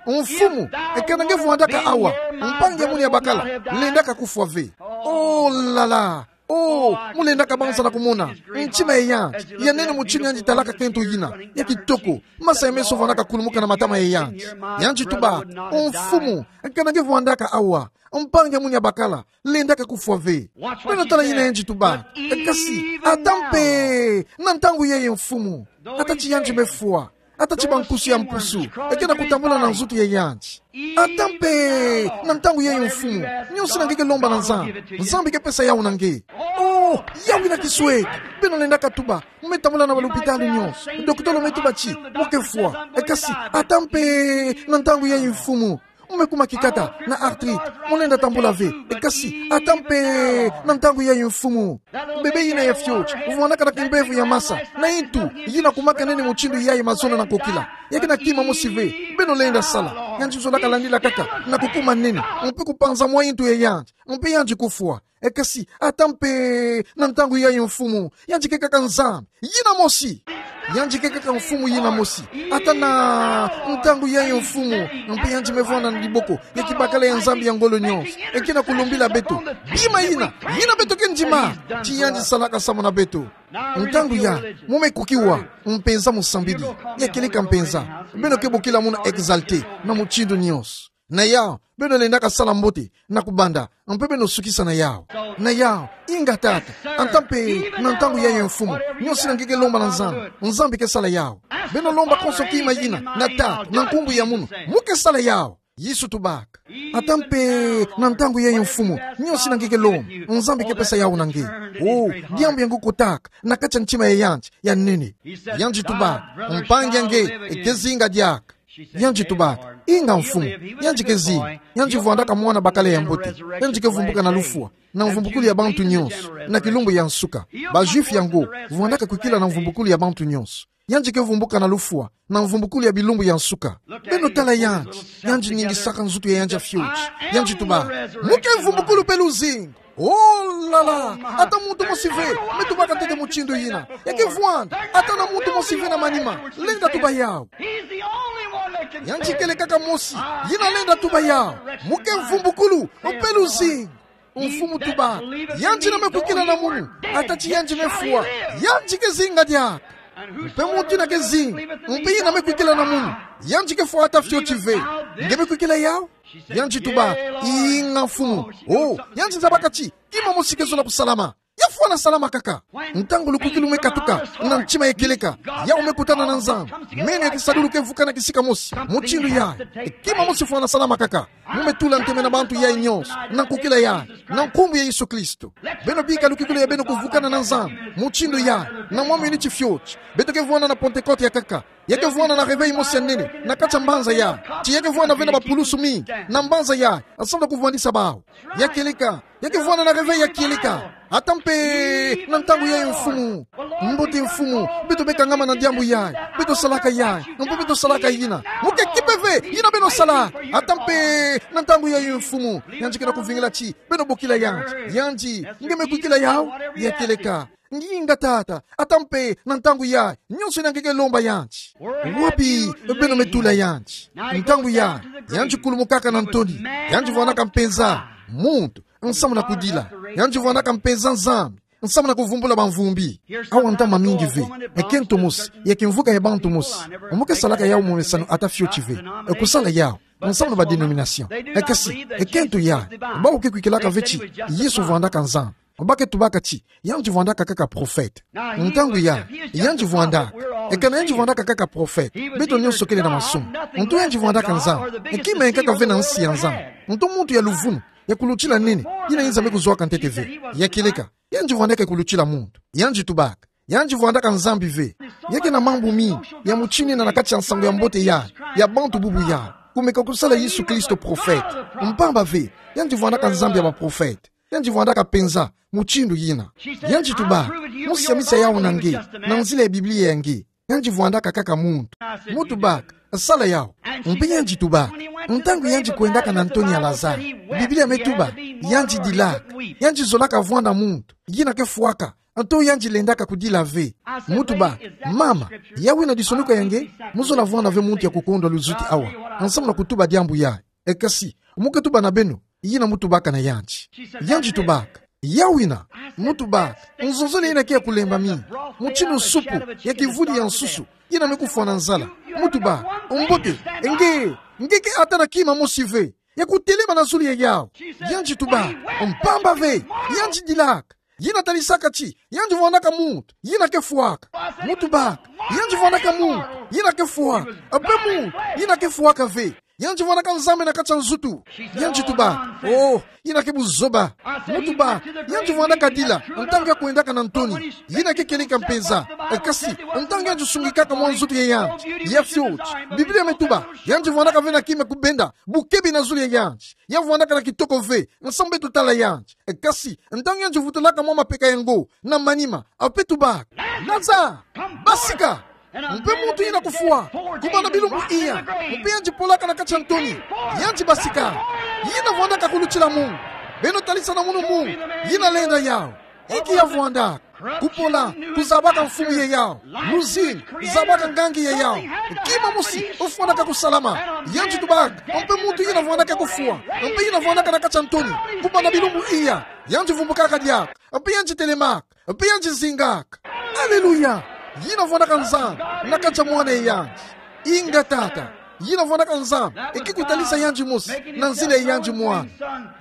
Mfumu, eka na nge vandaka awa, mpangi ya munu ya bakala lendaka kufwa ve. Oh là là. Oh, mu lendaka banza na kumona ntima ya yandi ya nene mutindu yandi talaka kento yina ya kitoko. Masa ya meso vandaka kulumuka na matama ya yandi. Yandi tuba: Mfumu, eka na nge vandaka awa, mpangi ya munu ya bakala lendaka kufwa ve. Beno tala yina yandi tuba. Kasi ata mpe na ntangu yayi, mfumu, ata ti yandi me fwa, ata ti bankusu ya mpusu e ke na kutambula na nzutu ya yandi. Ata mpe na ntangu yayi, mfumu, nionso yina nge ke lomba na Nzambi, Nzambi ke pesa yau na nge. Oh, yau wina kisweki. Beno lendaka tuba: Mu me tambula na balupitalu nionso, dokotolo me tuba ti mu ke fwa. E kasi ata mpe na ntangu yayi, mfumu, mu me kuma kikata na arthrite, mu lenda tambula ve. E kasi ata mpe na ntangu yayi, mfumu, bebe yina ya fioti, vandaka na kimbevo ya masa, na ntu yina kumaka nene mutindu yayi mazono na nkokila, ya ke na kima mosi ve. Beno lenda sala. Yandi zolaka landila kaka na kukuma nene, mpe kupanza mwa ntu ya yandi, mpe yandi kufwa. E kasi ata mpe na ntangu yayi, mfumu, yandi ke kaka Nzambi yina mosi. Yandi ke kaka mfumu yina mosi. Ata na ntangu yayi, mfumu, mpe yandi me vwanda na diboko ya kibakala ya Nzambi ya ngolo nionso, e ke na kulumbila beto bima yina, yina beto ke ndima ti yandi salaka samu na beto. Ntangu yayi, mu me kukiwa mpenza musambidi. Ya kieleka mpenza. Beno ke bokila munu exalté na mutindu nionso. Na yau, beno lendaka sala mbote na kubanda, mpe beno sukisa na yau. Na yau, inga tata, ata mpe na ntangu yayi, mfumu, nionso yina nge ke lomba na Nzambi, Nzambi ke sala yau. Beno lomba konso kima yina na tata, na nkumbu ya munu, mu ke sala yau. Yesu tubaka: Ata mpe na ntangu yayi, Mfumu, nyonso ina ngeke lomba, Nzambi ke pesa yawu na nge. O, diambu yango kotaka na kati ya ntima ya yandi ya nene. Yandi tubaka: Mpangi ya nge ke zinga diaka. Yandi tubaka: Inga, Mfumu, yandi ke zinga. Yandi vwandaka mwana bakala ya mbote. Yandi ke vumbuka na lufwa, na mvumbukulu ya bantu nyonso, na kilumbu ya nsuka. Ba Juifs yango vwandaka kwikila na mvumbukulu ya bantu nyonso. Yandi ke vumbuka na lufwa, na mvumbukulu ya bilumbu ya nsuka. Beno tala yandi, yandi ningisaka nzutu ya yandi ya fioti. Yandi tubaka: Mu ke mvumbukulu mpe luzingu. Oh là là! Ata muntu mosi ve me tubaka ntete mutindu yina. Ya ke vwanda ata na muntu mosi ve na manima lenda tuba yawu. Yandi kele kaka mosi yina lenda tuba yawu: Mu ke mvumbukulu mpe luzingu. Mfumu tubaka: Yandi ina me kwikila na munu, ata ti yandi me fwa, yandi ke zinga diaka. Mpe muntu ina ke zinga, mpe ina me kwikila na munu, yandi ke fwa ata fioti ve. Nge me kwikila yawu? Yandi tubaka: Inga, Mfumu. O, yandi zabaka ti kima mosi ke zola kusalama. Ya fwana salama kaka. Ntangu lukwikilu me katuka na ntima ya kieleka, yawu me kutana na Nzambi, meno ya kisadulu ke vukana kisika mosi. Mutindu yayi, kima mosi fwana salama kaka. Mu me tula ntemena bantu yayi nyonso na nkwikila yayi, na nkumbu ya Yesu Kristo. Beno bika lukwikilu ya beno kuvukana na Nzambi mutindu yayi, na mwa miniti fioti. Beto ke vwanda na Pentecote ya nkaka. Ya ke vwanda na réveil mosi ya nene na kati ya mbanza yayi. Ti ya ke vwanda ve na bapulusu mingi na mbanza yayi, ensemble kuvwandisa bawu. Ya kieleka, ya ke vwanda na réveil ya kieleka. Ata mpe na ntangu yayi, Mfumu. Mbote, Mfumu, beto me kangama na diambu yayi. Beto salaka yayi, mpe beto salaka yina. Mu ke kipe ve yina beno salaka. Ata mpe na ntangu yayi, Mfumu. Yandi ke na kuvingila ti beno bokila yandi. Yandi: Nge me kwikila yawu? Ya kieleka: Nginga, Tata, ata mpe na ntangu yayi, nyonso ina ngeke lomba yandi. Wapi beno me tula yandi? Ntangu yayi, yandi kulumukaka na ntoni. Yandi vwandaka mpenza muntu nsamu na kudila. Yandi vwandaka mpenza Nzambi nsamu na kuvumbula bamvumbi. Awa ntama mingi ve, ekento mosi ya kimvuka ya bantu mosi. Mu ke salaka yawu momesano ata fioti ve. E kusala yawu nsamu na ba dénomination. E kasi, ekento yayi, bawu ke kwikilaka ve ti Yesu vwandaka Nzambi. Ba ke tubaka ti yandi vwandaka kaka prophète. Ntangu yayi, yandi vwandaka. Eka na yandi vwandaka kaka prophète, beto nyonso kele na masumu. Nto yandi vwandaka Nzambi. Kima ya nkaka ve na nsi ya Nzambi. Nto muntu ya luvunu, ya kulutila nene, yina Nzambi kuzwaka ntete ve. Ya kieleka, yandi vwandaka ya kulutila muntu. Yandi tubaka: Yandi vwandaka Nzambi ve. Ya ke na mambu mingi ya mutindu yina na kati ya nsangu ya mbote yayi, ya bantu bubu yayi, kumeka kusala Yesu Kristo prophète. Mpamba ve, yandi vwandaka Nzambi ya baprophète. Yandi vwandaka mpenza mutindu yina. Yandi tubaka: Mu siamisa yawu na nge na nzila ya Biblia ya nge. Yandi vwandaka kaka muntu. Mu tubaka: Sala yawu. Mpe yandi tubaka: Ntangu yandi kwendaka na ntoni ya Lazare, Biblia me tuba yandi dilaka. Yandi zolaka vwanda muntu yina ke fwaka. Nto yandi lendaka kudila ve. Mu tubaka: Mama, yawu ina disonuka ya nge? Mu zola vwanda ve muntu ya kukondwa luzuti awa nsamu na kutuba diambu yayi. E kasi, mu ke tuba na beno yina mu tubaka na yandi. Yandi tubaka: Yawu ina. Mu tubaka: Nzonzolo ina ke ya kulemba mingi, mutindu supu ya kivudi ya nsusu yina me kufwana nzala. Mu tubaka: Mbote, nge, nge ke ata na kima mosi ve ya kutelema na zulu ya yawu. Yandi tubaka: Mpamba ve, yandi dilaka. Yina talisaka ti yandi vwandaka muntu yina ke fwaka. Mu tubaka: Yandi vwandaka muntu yina ke fwaka. Mpe muntu yina ke fwaka ve. Yandi vwandaka Nzambi na kati ya nzutu. Yandi tubaka: Oh, yina ke buzoba. Mu tubaka: Yandi vwandaka dila ntangu ya kwendaka na ntoni. Yina ke kieleka mpenza. E kasi, ntangu yandi sungikaka mwa nzutu ya yandi ya fioti, Biblia me tuba yandi vwandaka ve na kima kubenda bukebi na zulu ya yandi. Ya vwandaka na kitoko ve nsamu beto tala yandi. E kasi, ntangu yandi vutulaka mwa mapeka yango na manima, a pe tubaka: Lazare, basika! Mpe muntu yina kufwa kubanda bilumbu iya, mpe yandi polaka na kati ya ntoni. Yandi basika. Yina vwandaka kulutila muntu. Beno talisa na munu muntu yina lenda yawu. Inki ya vwandaka? Kupola, kuzabaka mfumu ya yawu. Luzingu, zabaka ngangi ya yawu. Kima mosi ofwanaka kusalama. Yandi tubaka: Mpe muntu yina vwandaka kufwa, mpe yina vwandaka na kati ya ntoni kubanda bilumbu iya, yandi vumbukaka diaka, mpe yandi telemaka, mpe yandi zingaka. Aleluya! Yina vwandaka Nzambi na kati ya mwana ya yandi. Inga, Tata. Yina vwandaka Nzambi, e ke kutalisa yandi mosi na nzila ya yandi mwana.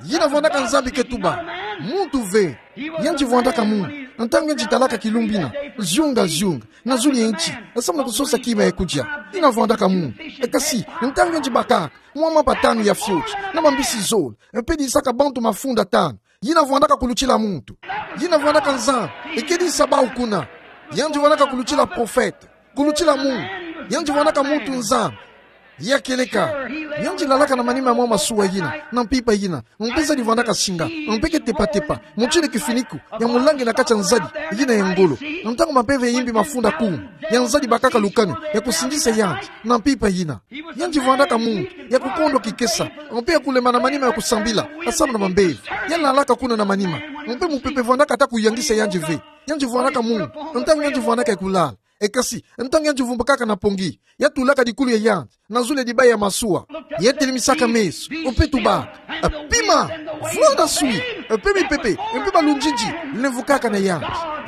Yina vwandaka Nzambi ke tuba muntu ve. Yandi vwandaka muntu. Ntangu yandi talaka kilumbu ina, zunga, zunga na zulu ya nti, asamu na kusosa kima ya kudia. Ina vwandaka mundu. E kasi, ntangu yandi bakaka, mwa mapa tanu ya fioti, na mambisi zole, e pe disaka bantu mafunda tanu. Ina vwandaka kulutila muntu. Ina vwandaka Nzambi, e ke disa bau kuna. Yandi vwandaka kulutila profeta, kulutila mundu. Yandi vwandaka muntu Nzambi. Ya kieleka, yandi lalaka na manima ya mwa masuwa ina, na mpimpa ina, mpe zadi vwandaka singa, mpe ke tepa-tepa, mutindu kifuniko, ya mulangi na kati ya nzadi ina ya ngolo. Ntangu mampeve ya yimbi mafunda kuma, ya nzadi bakaka lukanu ya kusindisa yandi, na mpimpa ina. Yandi vwandaka muntu ya kukondwa kikesa, mpe ya kulema na manima ya kusambila, asamu na mambeve. Ya lalaka kuna na manima, mpe mupepe vwandaka ata kuyangisa yandi ve. Yandi vwandaka muntu, ntangu yandi vwandaka ya kulala. E kasi, ntangu yandi vumbukaka na pongi, ya tulaka dikulu ya yandi na zulu ya dibai ya masuwa. Ya telimisaka meso, mpe tubaka. Pima, vent na swi, mpe mipepe, mpe balunzinzi lemvukaka na yandi.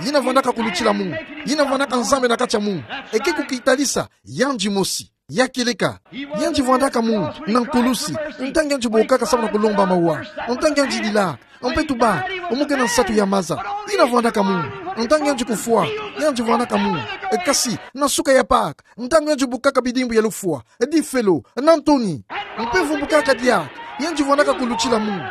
Ina vwandaka kulutila mundu. Ina vwandaka Nzambi na kati ya mundu. E ke kukitalisa yandi mosi. Ya kieleka, yandi vwandaka muntu na nkulusi, ntangu yandi bokaka samu na kulomba mawa, ntangu yandi dilaka, mpe tubaka, omo ke na nsatu ya maza. Ina vwandaka mundu, ntangu yandi kufwaka, yandi vwandaka mundu. E kasi, na suka ya Paka, ntangu yandi bukaka bidimbu ya lufwa, difelo, na ntoni, mpe vumbukaka diaka, yandi vwandaka kulutila mundu.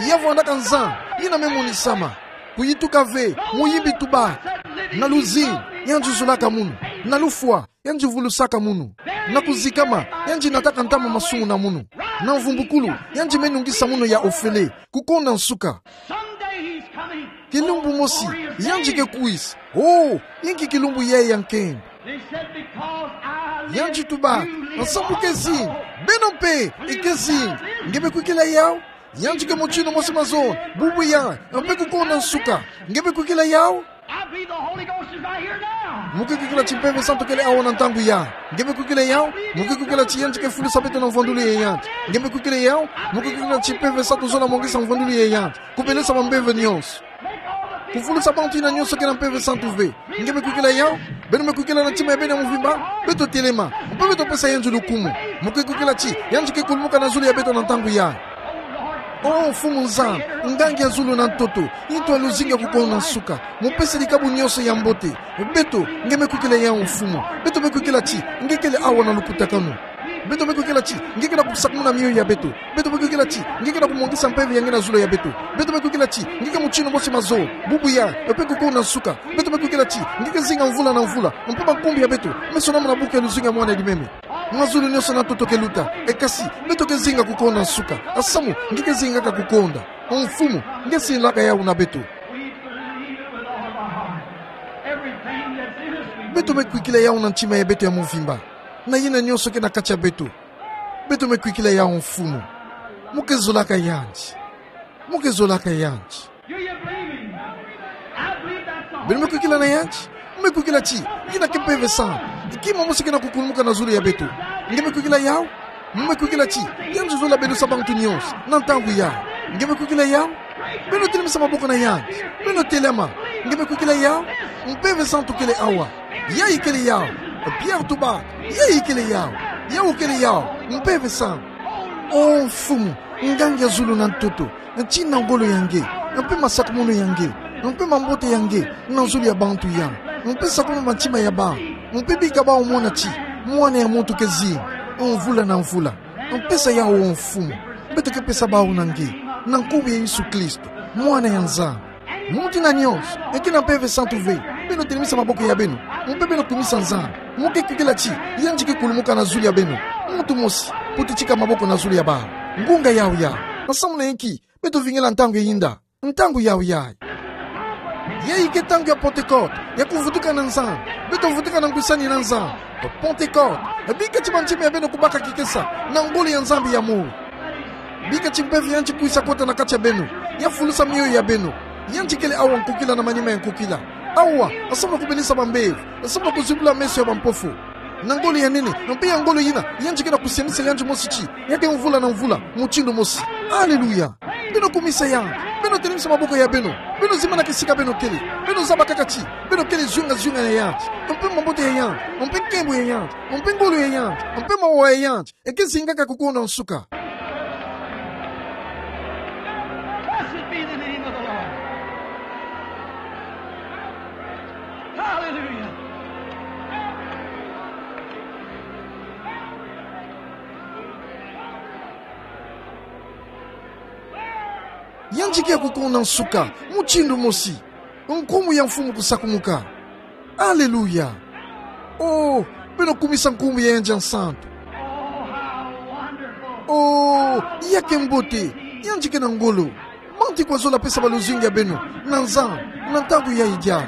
Ya vwandaka Nzambi, ina me monisama. Kuyituka ve, mu yimbi tubaka. Na luzingu, yandi zolaka munu. Na lufwa, yandi vulusaka munu. Na kuzikama, yandi nataka ntama masumu na munu. Na mvumbukulu, yandi me nungisa munu ya ofele. Kukonda nsuka. Someday he's coming. Kilumbu mosi, yandi ke kwisa. Oh, inki kilumbu yayi ya nkembo. They said, "Because I live, you live also." Yandi tuba, nsamu ke zinga, beno mpe, i ke zinga. Nge me kwikila yawu? Yandi ke mutindu mosi mazono, bubu yayi, mpe kukonda nsuka. Nge me kwikila yawu? I believe the Holy Ghost is right here now. Mo ke kwikila ti Mpeve Santu kele awa na ntangu yayi. Nge me kwikila yawu? Mo ke kwikila ti yandi ke fulusa beto na mvwandulu ya yandi? Nge me kwikila yawu? Mo ke kwikila ti Mpeve Santu zola mongesa mvwandulu ya yandi, kubelesa bambeve nyonso, kufulusa bantu yina nyonso ke na Mpeve Santu ve? Nge me kwikila yawu? Beno me kwikila na ntima ya beno ya mvimba? Beto telema, mpe beto pesa yandi lukumu. Mo ke kwikila ti yandi ke kulumuka na zulu ya beto na ntangu yayi? Oh Mfumu Nzambi, Ngangi ya zulu na ntoto, Ntu ya luzingu ya kukonda nsuka, mupesi dikabu nyonso ya mbote. Beto, nge me kwikila yawu Mfumu? Beto me kwikila ti nge kele awa na lukutakanu. Beto me kwikila ti nge ke na kusakumuna miyo ya beto. Beto me kwikila ti nge ke na kumongesa mpeve ya nge na zulu ya beto. Beto me kwikila ti nge ke mutindu mosi mazono, bubu yayi, mpe kukonda nsuka. Beto me kwikila ti nge ke zinga mvula na mvula, mpe mankumbu ya beto me sonama na buku ya luzingu ya Mwana Limeme. Mazulu nyonso na ntoto ke luta, e kasi beto ke zinga kukonda nsuka. Nsamu nge ke zingaka kukonda? Mfumu, nge silaka yawu na beto. Beto me kwikila yawu na ntima ya beto ya mvimba, na yina nyonso ke na kati ya beto. Beto me kwikila yawu Mfumu. Mo ke zolaka yandi. Mo ke zolaka yandi. Beno me kwikila na yandi? Mo me kwikila ti yina ke Mpeve Santu, kima mosi ke na kukulumuka na zulu ya beto? Nge me kwikila yawu? Mo me kwikila ti yandi zola belusa bantu nyonso na ntangu yayi? Nge me kwikila yawu? Beno telemisa maboko na yandi. Beno telema. Nge me kwikila yawu? Mpeve Santu kele awa. Yayi kele yawu. Pierre tuba, yayi kele yawu. Yawu kele yawu. Mpeve Santu. Oh Mfumu, Ngangi ya zulu na ntoto, tina ngolo ya nge, mpe masakumunu ya nge, mpe mambote ya nge na zulu ya bantu yayi, mpe sakumuna mantima ya bawu, mpe bika bawu mona ti Mwana ya muntu ke zinga mvula na mvula. Mpesa yawu, oh Mfumu. Beto ke pesa bawu na nge, na nkumbu ya Yesu Kristo, Mwana ya Nzambi. Muntu yina nyonso e ke na Mpeve Santu ve, beno telemisa maboko ya beno, mpe beno kumisa Nzambi. Mo ke kwikila ti yandi ke kulumuka na zulu ya beno? Muntu mosi, putitika maboko na zulu ya bawu. Ngunga yawu yayi. Nsamu na inki beto vingila ntangu ya yinda? Ntangu yawu yayi. Yayi ke ntangu ya Pentecote, ya kuvutuka na Nzambi. Beto vutuka na ngwisani na Nzambi. Pentecote, bika ti mantima ya beno kubaka kikesa na ngolo ya Nzambi ya munu. Bika ti mpeve ya yandi kwisa kota na kati ya beno, ya fulusa miyo ya beno. Yandi kele awa nkukila na manima ya nkukila. Awa, nsamu na kubelisa bambeve, nsamu na kuzibula meso ya bampofu. Na ngolo ya nene, mpe ya ngolo yina yandi ke na kusianisa yandi mosi ti ya ke mvula na mvula, mutindu mosi. Aleluya! Beno kumisa yandi, beno telemisa maboko ya beno, beno zimbana kisika beno kele, beno zaba kaka ti beno kele zunga-zunga ya yandi, mpe mambote ya yandi, mpe nkembo ya yandi, mpe ngolo ya yandi, mpe mawa ya yandi, e ke zingaka kukonda nsuka. Blessed be the name of the Lord. Yandi ki akukuna nsuka mutindu mosi. Nkumbu ya Mfumu kusakumuka. Aleluya. Oh, beno kumisa nkumbu ya yandi ya nsantu. Oh, ya ke mbote, yandi ke na ngolo. Bantu kwa zola pesa baluzingu ya beno na nzan, na ntangu ya idiaka.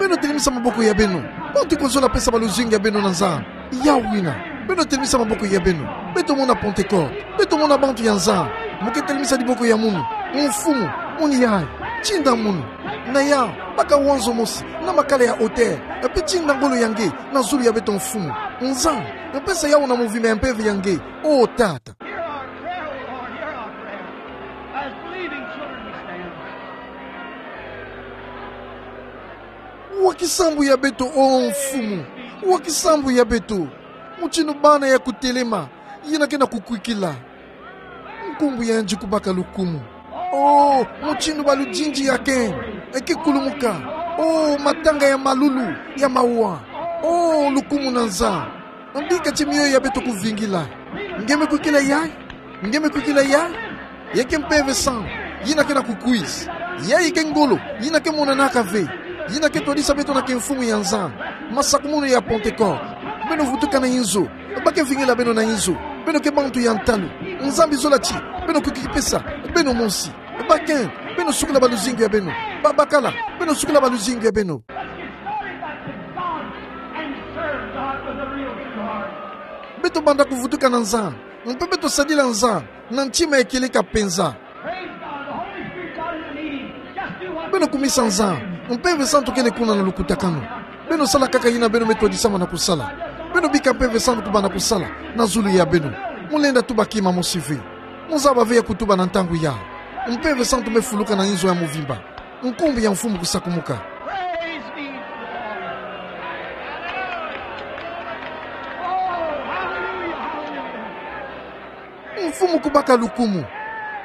Beno telemisa maboko ya beno. Bantu kwa zola pesa baluzingu ya beno na nzan. Ya wina. Beno telemisa maboko ya beno. Beto mona Pentecôte. Beto mona bantu ya nzan. Mu ke telemisa diboko ya munu, Mfumu, muni yayi. Tinda munu. Na ya, baka wanzo mosi, na makala ya hauteur. Mpe tinda ngolo ya nge na zulu ya beto Mfumu. Nzan, mpe sa yawu na movimento ya mpeve ya nge. Oh, Tata. Hear our prayer, O Lord, hear our prayer. As believing children we stand. Wa kisambu ya beto, oh Mfumu. Wa kisambu ya beto. Mutindu bana ya kutelema, yina ke na kukwikila. Nkumbu ya yandi kubaka lukumu. Oh, mutindu baludindi ya ke eke kulumuka. Oh, matanga ya malulu, ya mawa. Oh, lukumu na nzan. Mbika ti mioyo ya beto kuvingila. Nge me kwikila yayi? Nge me kwikila yayi? Ya ke mpeve santu, yina ke na kukwisa. Yayi ke ngolo, yina ke monanaka ve. Yina ke twadisa beto na ke Mfumu ya nzan. Masakumunu ya Pentecôte. Beno vutuka na inzo. Ba ke vingila beno na inzo. Beno ke bantu ya ntalu. Nzambi zola ti, beno kwikipesa beno mosi. Ba ke, beno sukula baluzingu ya beno. Babakala, beno sukula baluzingu ya beno. Let's get started by to God and serve God with a real true heart. Beto banda kuvutuka na nzan, mpe beto sadila nzan na ntima ya kieleka penza. Praise God. The Holy Spirit got in the meeting. Just do what Beno kumisa nzan, Mpeve Santu kele kuna na lukutakanu. Beno sala kaka yina beno me twadisa mana kusala. Beno bika Mpeve Santu kubanda kusala na zulu ya beno. Mu lenda tuba kima mosi ve. Mu zaba ve ya kutuba na ntangu yayi. Mpeve Santu me fuluka na inzo ya mvimba. Nkumbu ya Mfumu kusakumuka. Praise be to the Lord. Oh, hallelujah, hallelujah. Mfumu kubaka lukumu.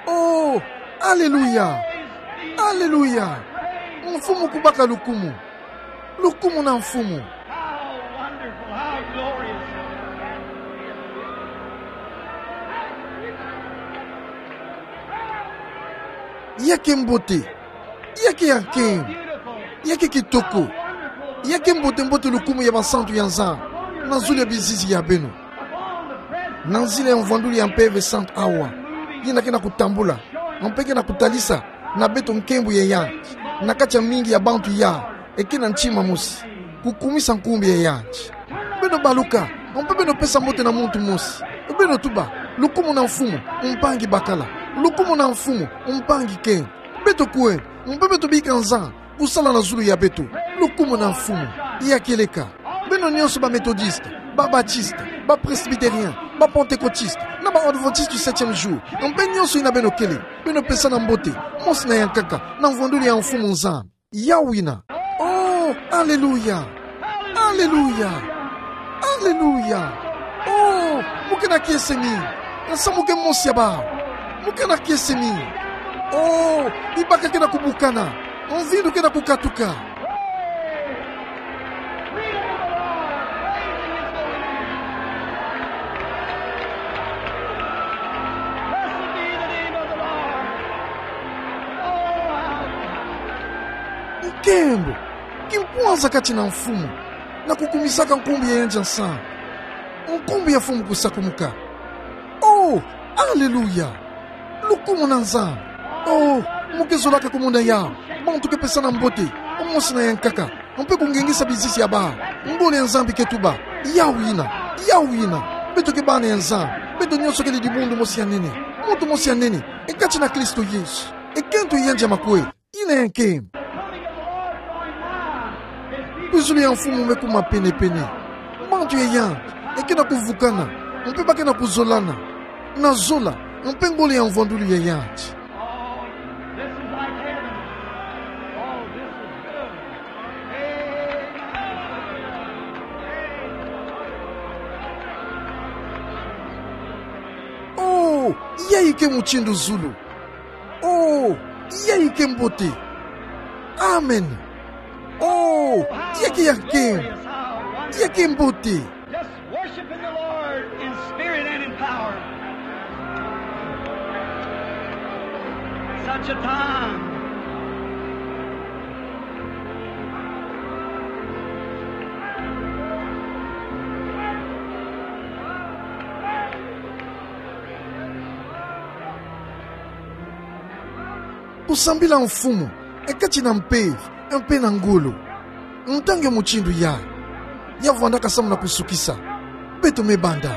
Oh, aleluya. Aleluya. Mfumu kubaka lukumu. Lukumu na Mfumu. How wonderful, how glorious. Ya ke mbote. Ya ke ya nkembo. Ya ke kitoko. Ya ke mbote mbote lukumu ya basantu ya Nzambi na zulu ya bizizi ya beno. Na nzila ya mvwandulu ya Mpeve Santu awa, yina ke na kutambula, mpe ke na kutalisa na beto nkembo ya yandi na kati ya mingi ya bantu yayi eke na ntima mosi, kukumisa nkumbu ya yandi. Beno baluka, mpe beno pesa mbote na muntu mosi. Beno tuba: Lukumu na Mfumu, mpangi bakala. Lukumu na Mfumu, mpangi nkembo. Beto kwe, mpe beto bika Nzambi kusala na zulu ya beto. Lukumu na Mfumu. Ya kieleka. Beno nyonso ba Methodiste, ba Batiste, ba Presbytérien, ba Pentecôtiste, na ba Adventiste du septième jour, mpe nyonso yina beno kele, beno pesana mbote mosi na ya nkaka na mvwandulu ya Mfumu Nzambi. Ya wina. Oh, aleluya. Aleluya. Aleluya. Oh, mu ke na kiese mi. Nsa mu ke mosi ya bawu. Mu ke na kiese mi. Oh, ibaka ke na kubukana. Mvindu ke na kukatuka. Nkembo, kimpwanza kati na Mfumu, na kukumisaka nkumbu ya yandi ya nsa. Nkumbu ya Mfumu kusakumuka. Oh, aleluya. Lukumu na Nzambi. Oh, mu ke zolaka kumona yawu. Bantu ke pesana mbote mosi na ya nkaka, mpe kungengisa bizizi ya bawu. Ngolo ya Nzambi ke tuba: Ya wina. Ya wina. Beto ke bana ya Nzambi. Beto nyonso kele dibundu mosi ya nene, muntu mosi ya nene, e kati na Kristo Yesu. Ekento ya yandi ya makweli. Yina ya nkembo. Kwizulu ya Mfumu me kuma penepene. Bantu ya yandi eke na kuvukana, mpe ba ke na kuzolana na zola mpe ngolo ya mvwandulu ya yandi. Oh, yayi ke mutindu zulu. Oh, yayi ke mbote. Amen. Oh, ya ke ya nkembo. Ya ke mbote. Just worshiping the Lord in spirit and in power. Such a time. Kusambila Mfumu, e kati na mpeve, mpe na ngolo. Ntangu ya mutindu yayi, ya vwandaka samu na kusukisa. Beto me banda.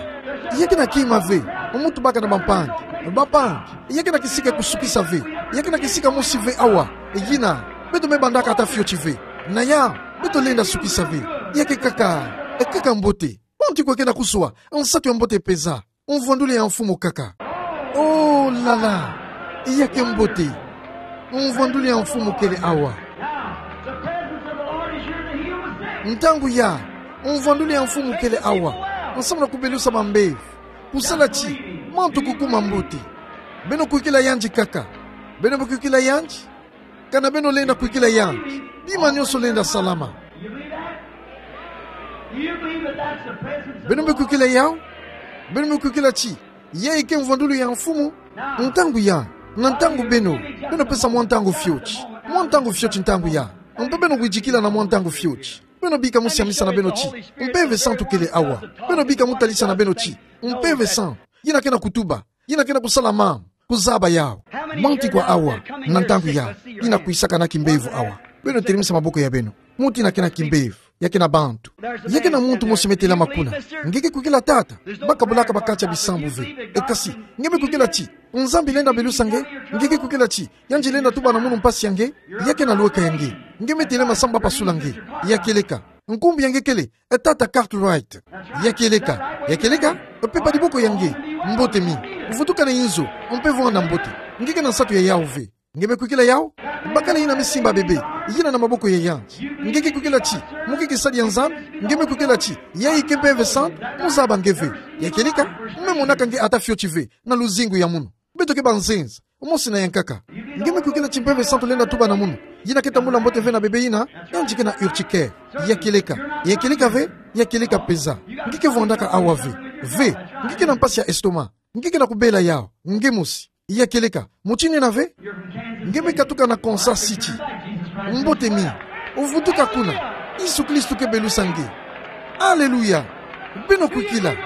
Ya kena kima ve, muntu baka na bampangi. Bampangi, ya kena kisika kusukisa ve. Ya kena kisika mosi ve awa. Yina, beto me bandaka ata fioti ve. Na ya, beto lenda sukisa ve. Ya ke kaka, e kaka mbote. Manti kwe kena kusua, nsatu ya mbote peza. Mvwanduli ya Mfumu kaka. Oh, la la. Ya ke mbote. Mvwanduli ya Mfumu kele awa. Ntangu ya, mvwanduli ya Mfumu kele awa. Nsamu na kubelusa bambevo. Kusala ti, mantu kukuma mbote. Beno kwikila yandi kaka. Beno me kwikila yandi. Kana beno lenda kwikila yandi, bima nionso lenda salama. Beno me kwikila yawu? Beno me kwikila ti, yayi ke mvwanduli ya Mfumu? Ntangu ya, na ntangu beno, beno pesa mwa ntangu fioti. Mwa ntangu fioti ntangu ya. Mpe beno widikila na mwa ntangu fioti. Beno bika musi ya misa na beno ti, Mpeve Santu kele awa. Beno bika mutalisa na beno ti, Mpeve Santu. Yina kena kutuba. Yina kena kusala mambu, kuzaba yawu. Manti kwa awa, na ntangu ya, yina kwisaka na kimbevo awa. Beno telemisa maboko ya beno. Muntu yina kena kimbevo, ya kena bantu. Ya kena muntu mosi me telama kuna. Nge ke kwikila tata, bakabulaka ba kati ya bisambu ve. E kasi, nge me kwikila ti, Nzambi lenda belusa nge, nge ke kwikila ti, yandi lenda tuba na munu mpasi ya nge, ya kena lweka ya nge. Nge me telama samu bapasula nge. Ya kieleka. Nkumbu ya nge kele, e tata Cartwright. Ya kieleka, ya kieleka, pepa diboko ya nge, mbote mi. Vutukana inzo, mpe vwanda mbote. Nge kena nsatu ya yawu ve. Nge me kwikila yawu? Bakala yina me simba bebe, yina na maboko ya yandi. Nge ke kwikila ti, muke kisadi ya Nzambi, nge me kwikila ti, yayi ke Mpeve Santu, muzaba nge ve. Ya kieleka, me monaka nge ata fioti ve, na luzingu ya munu. Beto ke banzenza, mosi na ya nkaka. Nge me kwikila ti Mpeve Santu lenda tuba na munu. Yina ke tambula mbote ve na bebe yina, yandi kena urticaire. Ya kieleka, ya kieleka ve, ya kieleka peza. Nge ke vwandaka awa ve. Ve, nge kena mpasi ya estomac. Nge kena kubela yawu, nge mosi. Ya kieleka, mutindu yina ve. Nge me katuka na Kansas City. Mbote mi. Vutuka kuna. Yesu Kristo ke belusa nge. Aleluya. Beno kwikila.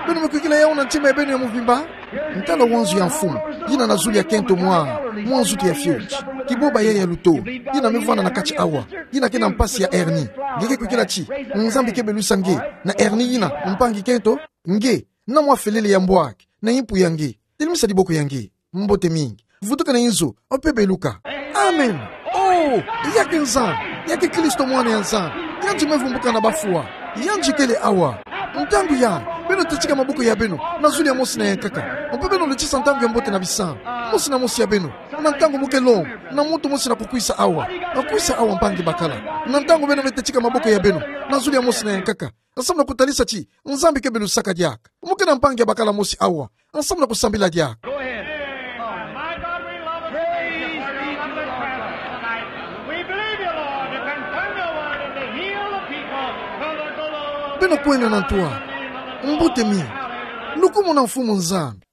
Beno me kwikila yawu na ntima ya beno ya mubimba. Ntala wanzu ya Mfumu, yina na zulu ya kento mwa, mwa nzutu ya fioti. Kiboba yayi ya luto, yina me vwanda na kati awa, yina kena mpasi ya hernie. Nge ke kwikila ti, Nzambi ke belusa nge, na hernie yina, mpangi kento, nge, na mwa felele ya mbwaki, na impu ya nge. Telemisa diboko ya nge. Mbote mingi. Vutuka na inzo, mpe beluka. Amen. Oh, ya ke Nzambi, ya ke Kristo mwana ya Nzambi. Yandi me vumbuka na bafwa. Yandi kele awa. Ntangu ya, beno tetika maboko ya beno, na zulu ya mosi na ya nkaka. Mpe beno lutisa ntangu ya mbote na bisambu. Mosi na mosi ya beno. Na ntangu muke longo, na muntu mosi na kukwisa awa. Akwisa awa mpangi bakala. Na ntangu beno me tetika maboko ya beno, na zulu ya mosi na ya nkaka. Nsamu na kutalisa ti, Nzambi ke belusaka diaka. Muke na mpangi ya bakala mosi awa. Nsamu na kusambila diaka. Go ahead. My God, we love you. Praise be to the Lord. We believe you, Lord, to confirm your word and to heal the people for the glory. Beno kwenda na ntwala. Mbote mi. Lukumuna Mfumu Nzambi.